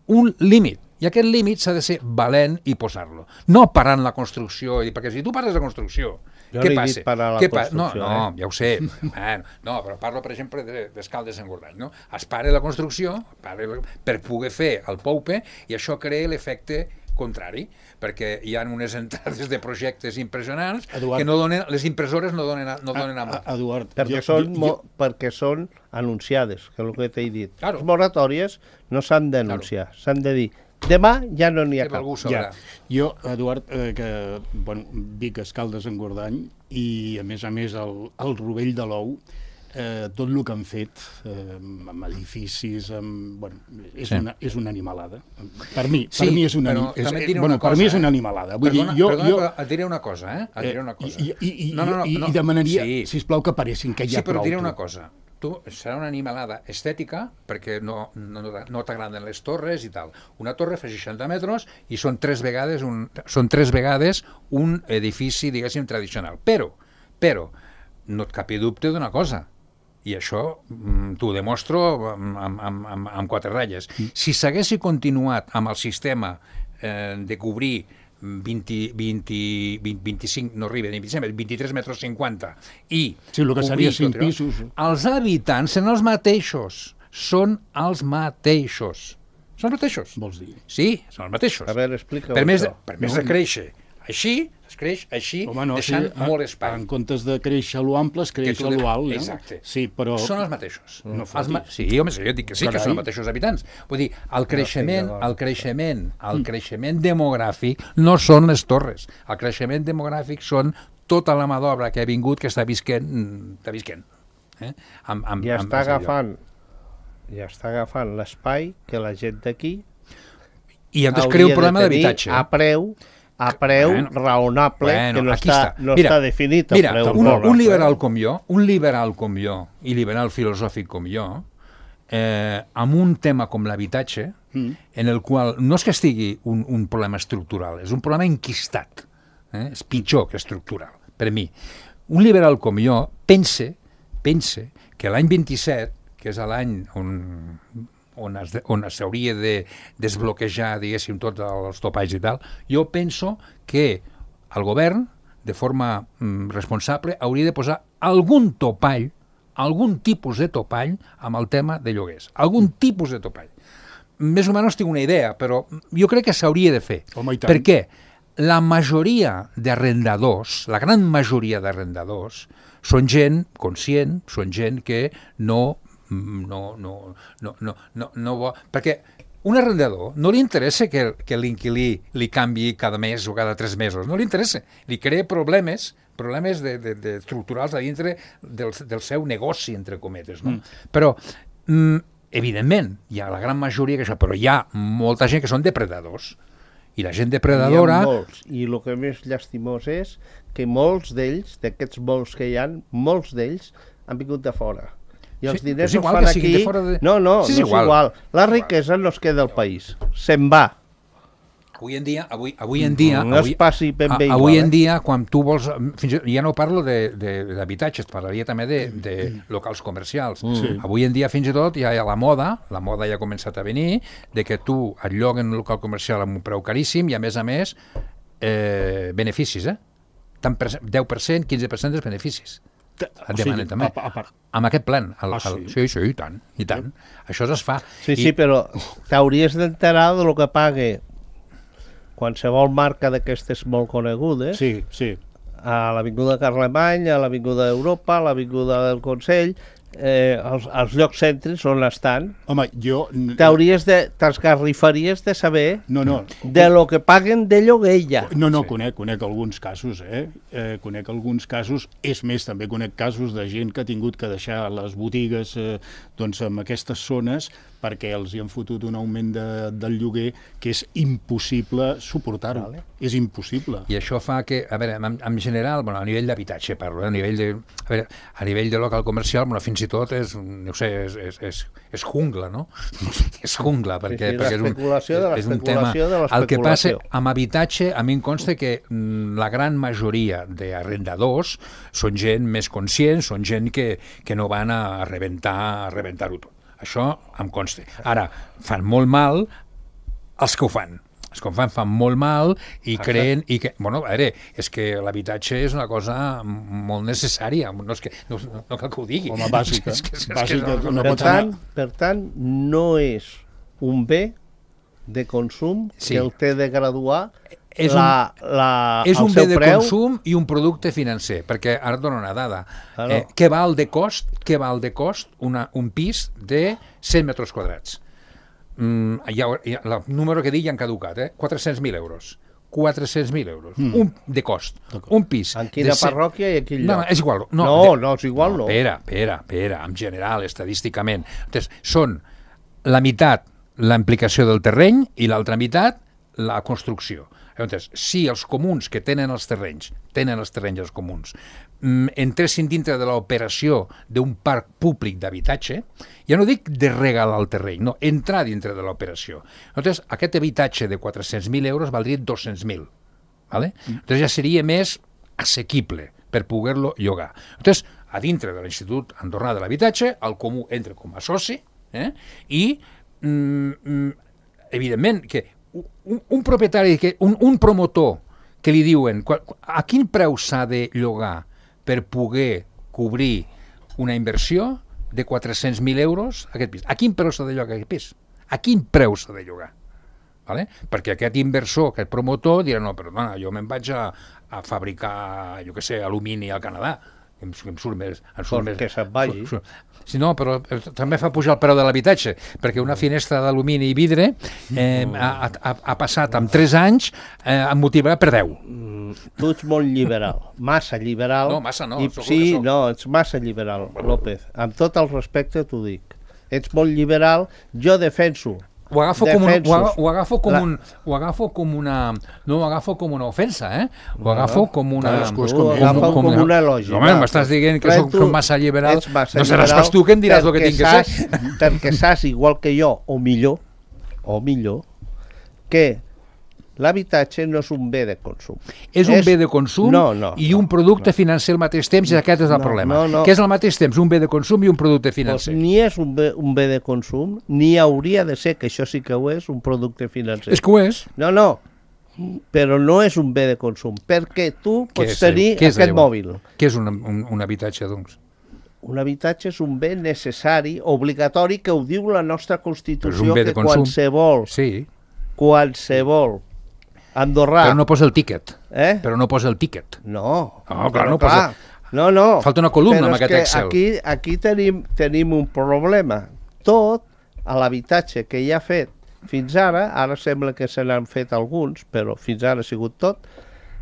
un límit, i aquest límit s'ha de ser valent i posar-lo. No parant la construcció, i- perquè si tu pares la construcció, Jo què no he passa? dit parar la Què pa- construcció, no, no, eh? ja ho sé. Bueno, no, però parlo, per exemple, de- d'Escaldes Engordany. No? Es para la construcció para la, per poder fer el POUPE i això crea l'efecte contrari, perquè hi ha unes entrades de projectes impressionants Eduard. que no donen, les impressores no donen, a, no donen a, A- a- Eduard, Perquè, jo- són, jo- mo- perquè són anunciades, que és el que t'he dit. Claro. Les moratòries no s'han d'anunciar, s'han de dir demà ja no n'hi ha que cap. algú Ja. sabrà. Jo, Eduard, eh, que bueno, Vic, Escaldes, Engordany i, a més a més, el, el Rovell de l'Ou, eh, tot el que han fet eh, amb edificis, amb, bueno, és, Sí. una, és una animalada. Per mi, Sí, per mi és una, però ani- és, també et diré bueno, una per cosa, mi és eh? una animalada. Vull Perdona, dir, jo, perdona, jo, però et diré una cosa, eh? Et diré una cosa. I, i, i, no, no, no, i, no. i demanaria, Sí. sisplau, que paressin, que ja Sí, però prou. et diré una tu. cosa. Tu serà una animalada estètica perquè no, no, no t'agraden les torres i tal. Una torre fa seixanta metres i són tres vegades un, són tres vegades un edifici, diguéssim, tradicional. Però, però, no et capi dubte d'una cosa, i això mm, t'ho demostro amb, amb, amb, amb, amb quatre ratlles. Si s'haguessi continuat amb el sistema eh, de cobrir vint, vint, vint, vint-i-cinc, no arriba, ni vint-i-cinc, vint-i-tres metres cinquanta, i Sí, el que seria cobrir cinc tot allò, pisos. els habitants són els mateixos, són els mateixos. Són els mateixos. Vols dir? Sí, són els mateixos. A veure, explica-ho per més, això. per més No, de créixer així, es creix així, Home, no, deixant sí, molt espai. En comptes de créixer a lo ample, es creix Que tu a de- lo alt. No? Exacte. Sí, però... Són els mateixos. No els ma... Sí, home, sí, jo dic que sí, Carai. que són els mateixos habitants. Vull dir, el creixement, d'acord. el creixement, el creixement demogràfic no són les torres. El creixement demogràfic són tota la mà d'obra que ha vingut, que està visquent, està visquent. Eh? Amb, amb, Ja amb, està amb allò. agafant ja està agafant l'espai que la gent d'aquí I entonces hauria crea un de problema tenir d'habitatge. a preu a preu Bueno, raonable, Bueno, que no, aquí està, està. no Mira, està definit el mira, preu un, raonable. un liberal com jo, un liberal com jo, i liberal filosòfic com jo, eh, amb un tema com l'habitatge, Mm. en el qual no és que estigui un, un problema estructural, és un problema enquistat. Eh? És pitjor que estructural, per mi. Un liberal com jo pense, pense que l'any vint-i-set, que és l'any on, on, es, on s'hauria de desbloquejar, diguéssim, tots els topalls i tal, jo penso que el govern, de forma mm, responsable, hauria de posar algun topall, algun tipus de topall amb el tema de lloguers. Algun tipus de topall. Més o menys tinc una idea, però jo crec que s'hauria de fer. Home, i tant. Per què? La majoria d'arrendadors, la gran majoria d'arrendadors, són gent conscient, són gent que no... no, no, no, no, no, no vol... Perquè un arrendador no li interessa que, que l'inquilí li canvi cada mes o cada tres mesos, no li interessa. Li crea problemes, problemes de, de, de estructurals a dintre del, del seu negoci, entre cometes. No? Mm. Però, mm, evidentment, hi ha la gran majoria que això, però hi ha molta gent que són depredadors. I la gent depredadora... Hi ha molts, i el que més llastimós és que molts d'ells, d'aquests molts que hi ha, molts d'ells han vingut de fora. I els sí, diners és els igual fan que siguin aquí... de fora de... No, no, sí, és no és igual. igual. La riquesa no es queda al país, se'n va. Avui en dia, avui, avui en dia, no avui, es passi ben bé a, igual, avui en eh? dia, quan tu vols, fins, ja no parlo d'habitatges, parlaria també de, de locals comercials. Sí. Avui en dia, fins i tot, ja hi ha la moda, la moda ja ha començat a venir, de que tu et lloguen un local comercial amb un preu caríssim i, a més a més, eh, beneficis, eh? Tant per, deu per cent, quinze per cent dels beneficis. Et demanen també. A, a, a, amb aquest plan. El, ah, el, sí? sí, sí, i tant, i tant. Això es fa. Sí, I, sí, però t'hauries d'enterar de lo que pague qualsevol marca d'aquestes molt conegudes, sí, sí. a l'Avinguda Carlemany, a l'Avinguda d'Europa, a l'Avinguda del Consell, eh, els, els llocs cèntrics on estan. Home, jo... T'hauries de... t'esgarrifaries de saber No, no. de lo que paguen de lloguer ja. No, no, Sí. conec, conec alguns casos, eh? eh? Conec alguns casos, és més, també conec casos de gent que ha tingut que deixar les botigues eh, doncs, en aquestes zones perquè els hi han fotut un augment de, del lloguer que és impossible suportar-ho. Vale. És impossible. I això fa que, a veure, en, en general, bueno, a nivell d'habitatge parlo, eh, a nivell de, a veure, a nivell de local comercial, bueno, fins i tot és, no sé, és, és, és, és jungla, no? És jungla, perquè, sí, sí, perquè és un, l'especulació de és un tema... l'especulació de El que passa l'especulació. amb habitatge, a mi em consta que mm, la gran majoria d'arrendadors són gent més conscient, són gent que, que no van a rebentar, a rebentar-ho tot. Això em consta. Ara, fan molt mal els que ho fan. Els que ho fan fan molt mal i creen... I que, bueno, a veure, és que l'habitatge és una cosa molt necessària. No, és que, no, no cal que ho digui. Home, bàsica. És que, és que, bàsica és que no Per pots tant, anar... per tant, no és un bé de consum Sí. que el té de graduar És la, la, és el un bé seu de preu. consum i un producte financer, perquè ara et dono una dada. Claro. Eh, què val de cost, què val de cost una, un pis de cent metres quadrats? Mm, ja, ja, el número que dic ja han caducat, eh? quatre-cents mil euros. quatre-cents mil euros. Mm. Un, de cost. Un pis. En quina de cent... parròquia i a quin No, lloc? no, és igual. No, No, de... no, és igual, no. Espera, espera, espera, en general, estadísticament. Entonces, són la meitat la implicació del terreny i l'altra meitat la construcció. Llavors, si els comuns que tenen els terrenys, tenen els terrenys els comuns, entressin dintre de l'operació d'un parc públic d'habitatge, ja no dic de regalar el terreny, no, entrar dintre de l'operació. Llavors, aquest habitatge de quatre-cents mil euros valdria dos-cents mil. ¿Vale? Llavors ja seria més assequible per poder-lo llogar. Llavors, a dintre de l'Institut Andorrà de l'Habitatge, el comú entra com a soci eh? i, mm, evidentment, que un, un propietari, que, un, un promotor que li diuen a quin preu s'ha de llogar per poder cobrir una inversió de quatre-cents mil euros aquest pis. A quin preu s'ha de llogar aquest pis? A quin preu s'ha de llogar? Vale? Perquè aquest inversor, aquest promotor, dirà, no, perdona, jo me'n vaig a, a fabricar, jo què sé, alumini al Canadà, que em, que em surt més... Em surt Pues més que se'n vagi. Surt, surt. Sí, no, però també fa pujar el preu de l'habitatge, perquè una finestra d'alumini i vidre eh, ha, ha, ha passat en tres anys eh, em motivarà per deu. Mm, tu ets molt liberal, massa liberal. No, massa no, I, sóc el sí, que sóc. no, ets massa liberal, López. Amb tot el respecte t'ho dic. Ets molt liberal, jo defenso. Ho agafo, com un, ho, aga, ho, agafo com La... un, ho agafo com una... No ho agafo com una ofensa, eh? Ho agafo com una... Cadascú és Tu com ho ell, agafes no? com, com una lògica. Home, m'estàs dient que soc, soc massa liberal. Massa no seràs liberal pas tu que em diràs el que tinc que saps, ser. Perquè saps, igual que jo, o millor, o millor, que l'habitatge no és un bé de consum. És un bé de consum no, no, i un producte no. financer al mateix temps, i aquest és el no, problema. No, no. Que és al mateix temps un bé de consum i un producte Pues financer. ni és un bé, un bé de consum, ni hauria de ser, que això sí que ho és, un producte financer. És que ho és. No, no, però no és un bé de consum, perquè tu Què pots és, tenir què és aquest llavors? mòbil. Què és un, un, un habitatge, doncs? Un habitatge és un bé necessari, obligatori, que ho diu la nostra Però és Constitució, un bé de que consum. qualsevol, Sí, qualsevol andorrà... però no posa el tíquet. Eh? Però no posa el tíquet. No, No, clar, però no posa- No, no. Falta una columna però amb és aquest que Excel. Aquí, aquí tenim, tenim un problema. Tot a l'habitatge que hi ha fet fins ara, ara sembla que se n'han fet alguns, però fins ara ha sigut tot,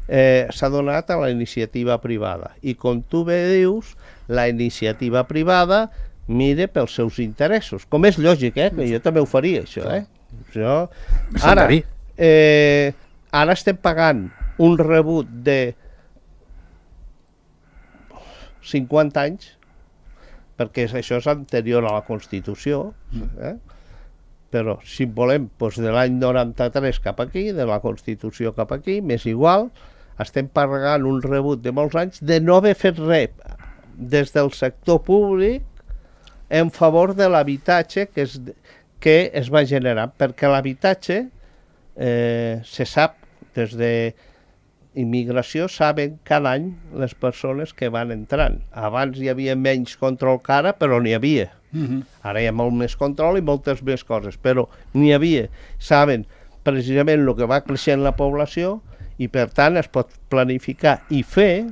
eh, s'ha donat a la iniciativa privada. I com tu bé dius, la iniciativa privada mire pels seus interessos. Com és lògic, eh? Que jo també ho faria, això, eh? Això... Ara, eh, ara estem pagant un rebut de cinquanta anys, perquè això és anterior a la Constitució, eh? Però si volem doncs, de l'any noranta-tres cap aquí, de la Constitució cap aquí, m'és igual, estem pagant un rebut de molts anys de no haver fet res des del sector públic en favor de l'habitatge que, es, que es va generar, perquè l'habitatge eh, se sap des de immigració, saben cada any les persones que van entrant. Abans hi havia menys control que ara, però n'hi havia. Uh-huh. Ara hi ha molt més control i moltes més coses, però n'hi havia. Saben precisament el que va creixent la població i per tant es pot planificar i fer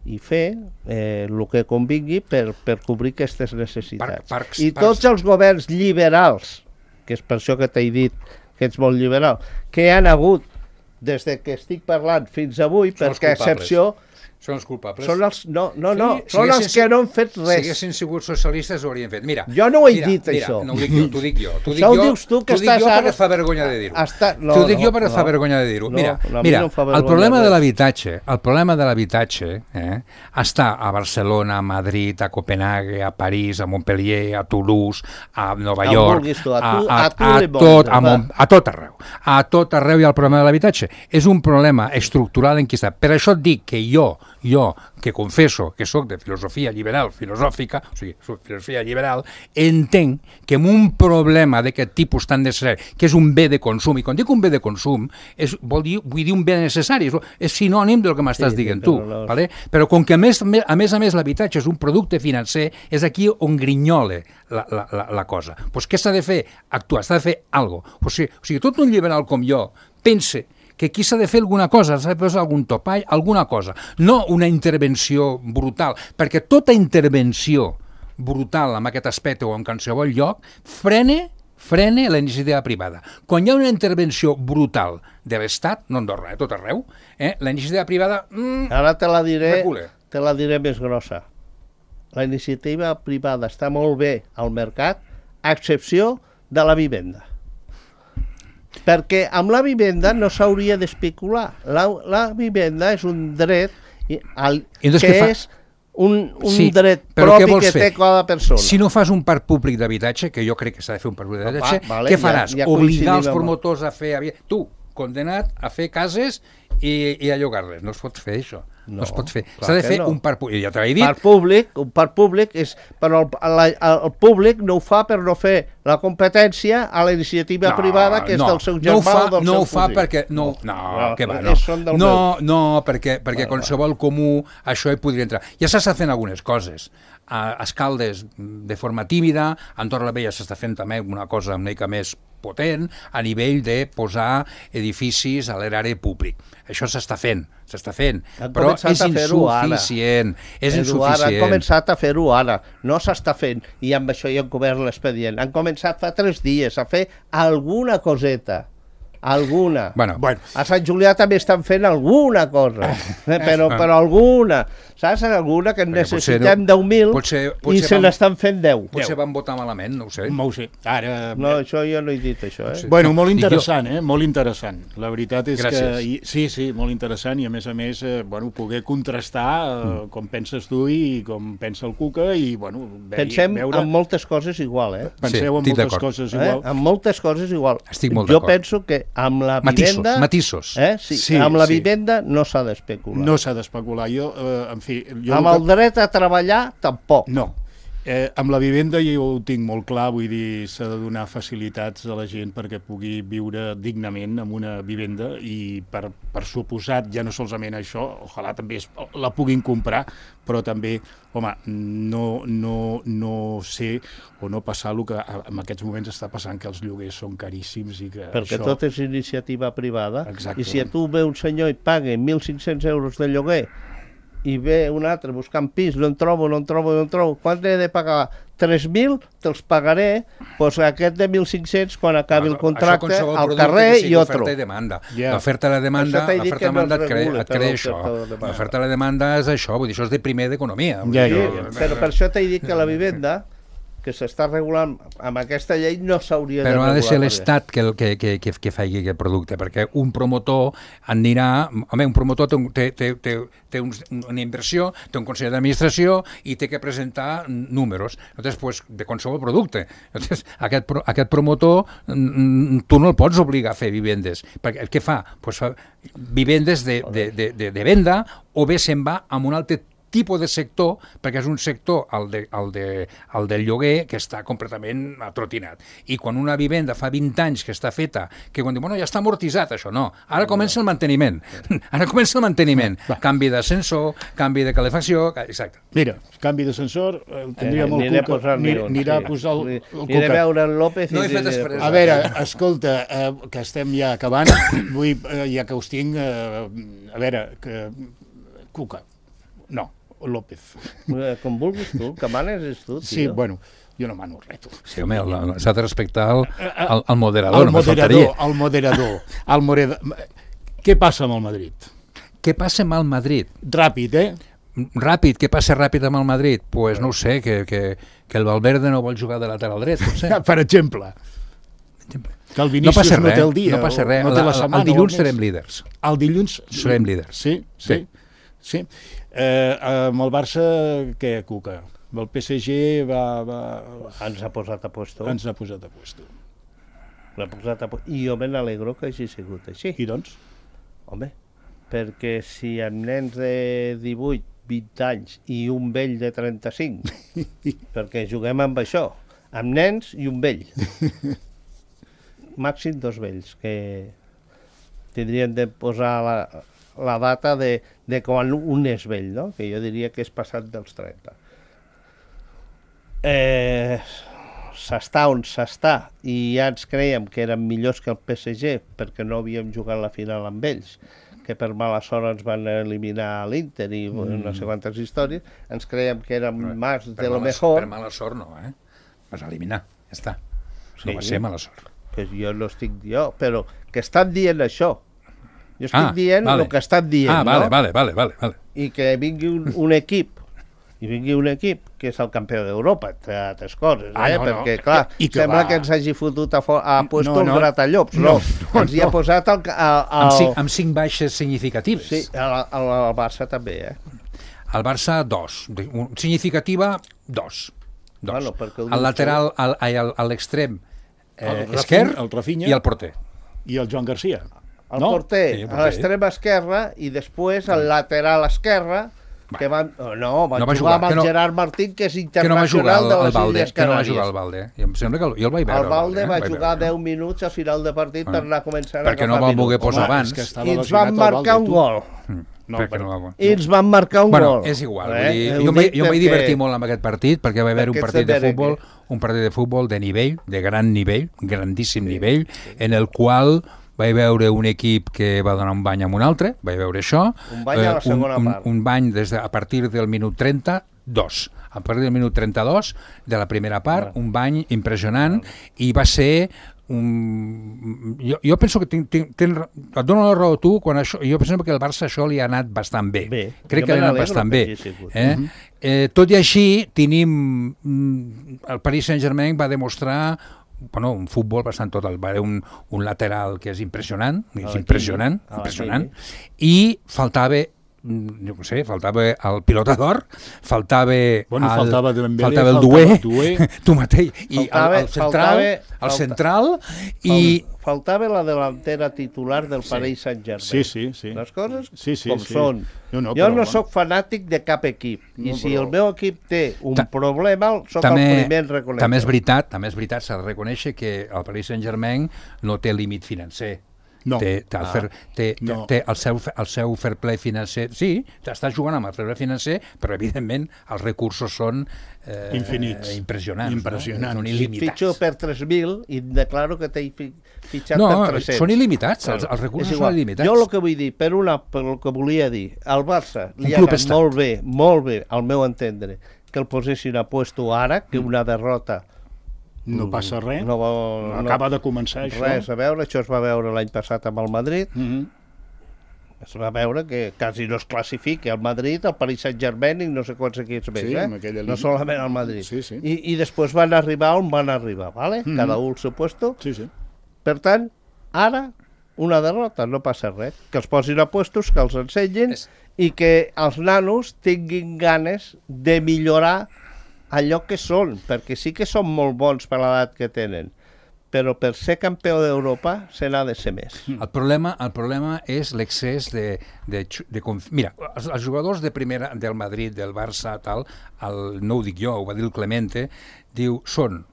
i fer eh, el que convingui per, per cobrir aquestes necessitats. Parc, parcs, I tots parcs. els governs liberals, que és per això que t'he dit que ets molt liberal, que han hagut des de que estic parlant fins avui, Són els perquè a culpables. excepció Són els culpables. són els, no, no, no, Sí, són els que no han fet Si res. haguessin sigut socialistes ho haurien fet. Mira, Jo no ho he mira, dit, mira, això. No ho dic jo, t'ho dic jo. T'ho dic Això ho jo, dius tu, que t'ho dic estàs jo ara- perquè et fa vergonya de dir-ho. Està- no, T'ho dic jo no, perquè et fa no. vergonya de dir-ho. No, Mira, a mi mira no em fa el vergonya problema de res. l'habitatge, el problema de l'habitatge eh, està a Barcelona, a Madrid, a Copenhague, a París, a Montpellier, a Toulouse, a Nova On York, vulguis tu, a a, tu- a, a tu a, li tot, vols, a, va. Mont- a tot arreu. A tot arreu hi ha el problema de l'habitatge. És un problema estructural en qui està. Per això et dic que jo, jo, que confesso que sóc de filosofia liberal, filosòfica, o sigui, soc filosofia liberal, entenc que amb un problema d'aquest tipus tan necessari, que és un bé de consum, i quan dic un bé de consum, és, vol dir, vull dir un bé necessari, és, és sinònim del que m'estàs Sí, dient però tu, no- vale? Però com que a més, a més a més l'habitatge és un producte financer, és aquí on grinyole la, la, la, la cosa. Pues què s'ha de fer? Actuar, s'ha de fer alguna cosa. O sigui, o sigui, tot un liberal com jo pense que aquí s'ha de fer alguna cosa, s'ha de posar algun topall, alguna cosa, no una intervenció brutal, perquè tota intervenció brutal en aquest aspecte o en qualsevol lloc frene, frene la iniciativa privada. Quan hi ha una intervenció brutal de l'Estat, no Andorra, eh, tot arreu, eh, la iniciativa privada... Mm, Ara te la diré, recule. te la diré més grossa. La iniciativa privada està molt bé al mercat, a excepció de la vivenda. Perquè amb la vivenda no s'hauria d'especular. La, la vivenda és un dret i, al, I doncs que què fa? és un, un Sí, dret però què propi vols que fer? té cada persona. Si no fas un parc públic d'habitatge, que jo crec que s'ha de fer un parc públic d'habitatge, Va, vale, què faràs? ja- ja Obligar els coincidim amb- promotors a fer... habi- Tu, condenat a fer cases i, i a llogar-les. No es pot fer això. No, No, es pot fer. clar S'ha de que fer no. un parc públic. Ja t'ho he dit. Parc públic, un parc públic és, però el, la, el públic no ho fa per no fer la competència a la iniciativa privada que és no, del seu no germà ho fa, o del no seu ho fa cosí. perquè no, no, No, que va, perquè no. són del No, meu. no, perquè perquè Va, qualsevol comú això hi podria entrar. Ja s'està fent algunes coses. A Escaldes de forma tímida, a Andorra la Vella s'està fent també una cosa una mica més potent a nivell de posar edificis a l'erari públic. Això s'està fent, s'està fent, Han però començat és a fer-ho ara. insuficient, és Eduard, insuficient. han començat a fer-ho ara, no s'està fent, i amb això hi han cobert l'expedient. Han començat fa tres dies a fer alguna coseta, alguna. Bueno, Bueno, A Sant Julià també estan fent alguna cosa, eh, però, però alguna, saps? Alguna que en Perquè potser necessitem no- deu mil potser- i potser se vam- n'estan fent deu. potser van votar malament, no ho sé. no ho sé. Ara... No, això jo no he dit, això, eh? Bueno, molt Dic jo. interessant, eh? Molt interessant. La veritat és Gràcies. que... i- Sí, sí, molt interessant, i a més a més, eh, bueno, poder contrastar eh, Mm. com penses tu i com pensa el Cuca, i, bueno, ve, Pensem veure... en moltes coses igual, eh? Penseu Sí, en estic moltes d'acord. coses eh? igual. En moltes coses igual. Estic molt jo d'acord. penso que amb la Matisos, vivenda... matisos. Eh? Sí, Sí, amb la sí. vivenda no s'ha d'especular. No s'ha d'especular. Jo, eh, en fi... Jo amb el el dret a treballar, tampoc. No. Eh, amb la vivenda jo ho tinc molt clar, vull dir, s'ha de donar facilitats a la gent perquè pugui viure dignament en una vivenda i per, per suposat, ja no solament això, ojalà també es, la puguin comprar, però també, home, no, no, no sé o no passar el que en aquests moments està passant, que els lloguers són caríssims i que perquè això... tot és iniciativa privada. Exacte. I si a tu ve un senyor i paga mil cinc-cents euros de lloguer i ve un altre buscant pis, no en trobo, no en trobo, no en trobo, quan he de pagar? tres mil, te'ls pagaré, doncs aquest de mil cinc-cents, quan acabi el contracte, al carrer i otro. L'oferta i demanda. Yeah. L'oferta i la demanda, l'oferta i la demanda et crea, et crea això. L'oferta i la demanda és això, vull dir, això és de primer d'economia. Yeah, yeah, yeah. Però per això t'he dit que la vivenda, que s'està regulant amb aquesta llei, no s'hauria de regular. Però ha de ser l'Estat que, que, que, que, que faci aquest producte, perquè un promotor anirà... Home, un promotor té, té, té, té un, una inversió, té un consell d'administració i té que presentar números, entonces, pues, de qualsevol producte. Entonces, aquest, aquest promotor, tu no el pots obligar a fer vivendes. Perquè què fa? Pues fa vivendes de, de, de, de, de venda, o bé se'n va amb un altre tipus de sector, perquè és un sector, el, de, el, de, el del lloguer, que està completament atrotinat. I quan una vivenda fa vint anys que està feta, que quan diu, bueno, ja està amortitzat això, no. Ara comença el manteniment. Ara comença el manteniment. Canvi d'ascensor, canvi de calefacció, exacte. Mira, canvi d'ascensor, el tindria molt Aniré a posar anirà a posar el, el Aniré a veure en López i... No he fet després. A veure, escolta, eh, que estem ja acabant, vull, eh, ja que us tinc, eh, a veure, que... Cuca. No, López. Com vulguis tu, que manes és tu, tio. Sí, bueno, jo no mano res, tu. Sí, home, s'ha de respectar el, el, el moderador, el no moderador, el moderador, el moderador. Què passa amb el Madrid? Què passa amb el Madrid? Ràpid, eh? Ràpid, què passa ràpid amb el Madrid? Doncs pues no ho sé, que, que, que el Valverde no vol jugar de lateral dret, no sé. Per exemple. Que el Vinícius no, passa res, no té el dia. No passa res, no té la setmana, el dilluns serem líders. El dilluns... Serem líders. Sí, sí, sí. Eh, amb el Barça, què, Cuca? El P S G va, va... Ens ha posat a puesto. Ens ha posat a puesto. L'ha posat a puesto. I jo me n'alegro que hagi sigut així. I doncs? Home, perquè si amb nens de divuit, vint anys i un vell de trenta-cinc, perquè juguem amb això, amb nens i un vell. Màxim dos vells, que tindrien de posar la, la data de, de quan un és vell, no? Que jo diria que és passat dels trenta. Eh, s'està on s'està, i ja ens creiem que érem millors que el P S G perquè no havíem jugat la final amb ells, que per mala sort ens van eliminar a l'Inter i mm. no sé quantes històries, ens creiem que érem no, més de lo mejor. Per mala sort no, eh? Vas eliminar, ja està. Sí, no va ser mala sort. Que jo no estic jo, però que estan dient això. Jo estic ah, dient vale. el que estan dient, ah, vale, no? Vale, vale, vale, vale. I que vingui un, un equip, i vingui un equip que és el campió d'Europa, entre altres coses, ah, eh? No, perquè, no. clar, I que sembla va. que ens hagi fotut a, a puesto no, no, no. un gratallops. No, no, no ens hi ha posat el... el, el... Amb, cinc, amb cinc baixes significatives. Sí, el, el, el Barça també, eh? El Barça, dos. Significativa, dos. dos. Bueno, el lateral, al, al, a l'extrem eh, el esquerr el Rafinha, i el porter. I el Joan Garcia. El no? porter, sí, el porter. a l'extrem esquerra, i després el lateral esquerre, que van... Oh, no, van no va jugar, jugar amb el no, Gerard Martín, que és que no va jugar internacional el, de el les Valde, Illes que no va Canàries. jugar el Valde. I em sembla que jo el vaig veure. El Valde el va eh? jugar veure. deu minuts a final de partit per anar començant a perquè no va voler posar Home, abans. És que I ens van marcar un gol. Mm. No, perquè no va... I ens van marcar un bueno, gol. és igual. Eh? Vull dir, Eh, jo em vaig, jo em vaig perquè... divertir molt amb aquest partit perquè va haver un Perquè partit de ets de futbol, un partit de futbol de nivell, de gran nivell, grandíssim sí, nivell, sí. en el qual vaig veure un equip que va donar un bany amb un altre, vaig veure això. Un bany a la segona un, part. Un, un bany des de, a partir del minut trenta, dos. A partir del minut trenta-dos de la primera part, un bany impressionant, i va ser un... Jo, jo penso que tinc, tinc, tinc, et dono la raó a tu, quan això, jo penso que el Barça això li ha anat bastant bé. bé. Crec que li ha anat bastant bé. Eh? Uh-huh. Eh, tot i així, tenim... El Paris Saint-Germain va demostrar bueno, un futbol bastant total, va haver un, un lateral que és impressionant, és impressionant, impressionant, i faltava no sé, faltava el pilotador, faltava Bueno, el, faltava Dembélé, faltava el faltava duer, Duer. tu mateix, i Faltava- el, el central, faltava- el falta- central i... Fal- Faltava la delantera titular del Sí. Paris Saint-Germain. Sí, sí, sí. Les coses Sí, sí, com sí. són. No, no, jo però, no bueno. sóc fanàtic de cap equip. I No, si però- el meu equip té un Ta- problema, sóc també, el primer en reconèixer. també és veritat, també és veritat, s'ha de reconèixer que el Paris Saint-Germain no té límit financer. No. Té, té, el, Ah. fer, té, No. té el, seu, el seu fair play financer. Sí, està jugant amb el fair play financer, però evidentment els recursos són eh, Infinits. impressionants. Impressionants. No? Són Si il·limitats. fitxo per tres mil i declaro que t'he fi- fitxat No, per tres-cents. són il·limitats, els, Claro, els recursos és igual. són il·limitats. Jo el que vull dir, per una, per el que volia dir, al Barça li Un ha club anat estat. molt bé, molt bé, al meu entendre, que el posessin a puesto ara, que una derrota No passa res. no, va- no, Acaba de començar això. res a veure, això es va veure l'any passat amb el Madrid, Mhm. es va veure que quasi no es classifica el Madrid, el Paris Saint-Germain i no sé quants equips més, Sí, eh? amb aquella no línia. solament el Madrid. Sí, sí. I, I després van arribar on van arribar, ¿vale? Mhm. Cada un al seu puesto. Sí, sí. Per tant, ara, una derrota, no passa res. Que els posin a puestos, que els ensenyin És- i que els nanos tinguin ganes de millorar allò que són, perquè sí que són molt bons per l'edat que tenen, però per ser campió d'Europa se n'ha de ser més. El problema, el problema és l'excés de, de, xu- de conf... Mira, els, els jugadors de primera del Madrid, del Barça, tal, el, no ho dic jo, ho va dir el Clemente, diu, són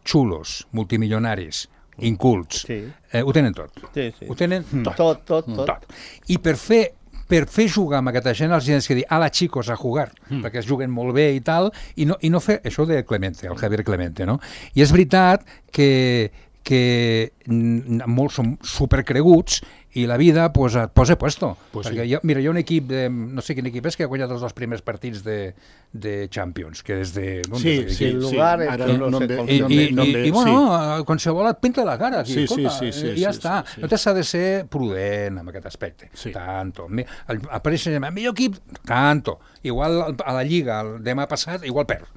xulos, multimilionaris, incults, Sí. eh, ho tenen tot. Sí, sí. Ho tenen tot. Tot, tot, tot. tot. I per fer per fer jugar amb aquesta gent els tens que dir ala xicos a jugar, mm. perquè es juguen molt bé i tal, i no, i no fer això de Clemente, el Javier Clemente, no? I és veritat que, que mm, molts són supercreguts i la vida pues, et posa puesto. Pues perquè sí. hi ha, mira, hi ha un equip, de, no sé quin equip és, que ha guanyat els dos primers partits de, de Champions, que és de... No, Sí, des de- sí, el sí. lugar, Ara no no sé em ve- com I, no em i, ve- no em i, ve- i bueno, sí. qualsevol et pinta la cara aquí, Sí, sí, escolta, sí, sí, i ja sí, està. sí, sí. No s'ha de ser prudent amb aquest aspecte. Sí. Tanto. Mi- El, apareix el millor equip, tanto. Igual a la Lliga, el demà passat, igual perd.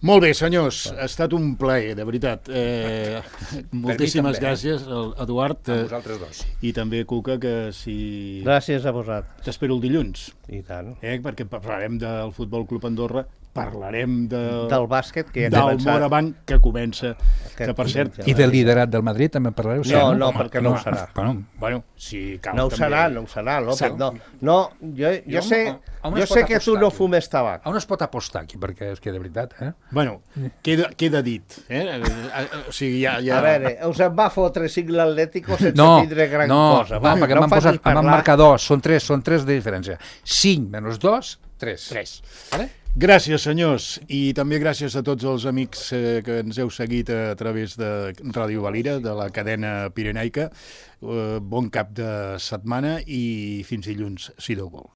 Molt bé, senyors, ha estat un plaer, de veritat. Eh, moltíssimes també, eh? gràcies, el- Eduard, A eh, vosaltres dos. i també Cuca, que si... Gràcies a vosaltres. T'espero el dilluns, I tant. eh, perquè parlarem del Futbol Club Andorra, parlarem de, Del bàsquet, que ja ha del començat. Morabanc, que comença, Aquest que per cert... diumenge. I del liderat del Madrid també en parlareu? Sí, No, no, Home, perquè no ho serà. Bueno, Bueno, si cal No ho també... serà, no ho serà, López. Sap- No, no jo, jo, Jo sé, a- a on jo es sé pot que tu apostar no aquí? fumes tabac. on es pot apostar aquí? Perquè és que de veritat, eh? Bueno, queda, queda dit. Eh? Eh, eh, O sigui, ja... ja... A veure, us en va fotre cinc l'Atlético sense No, tindre gran no, cosa. va, perquè no m'han em posat, facis em van parlar. marcar dos, són tres, són tres de diferència. cinc menys dos, tres. Tres. Vale? Gràcies, senyors, i també gràcies a tots els amics eh, que ens heu seguit a través de Ràdio Valira, de la cadena pirenaica. Eh, bon cap de setmana i fins dilluns, si Déu vol.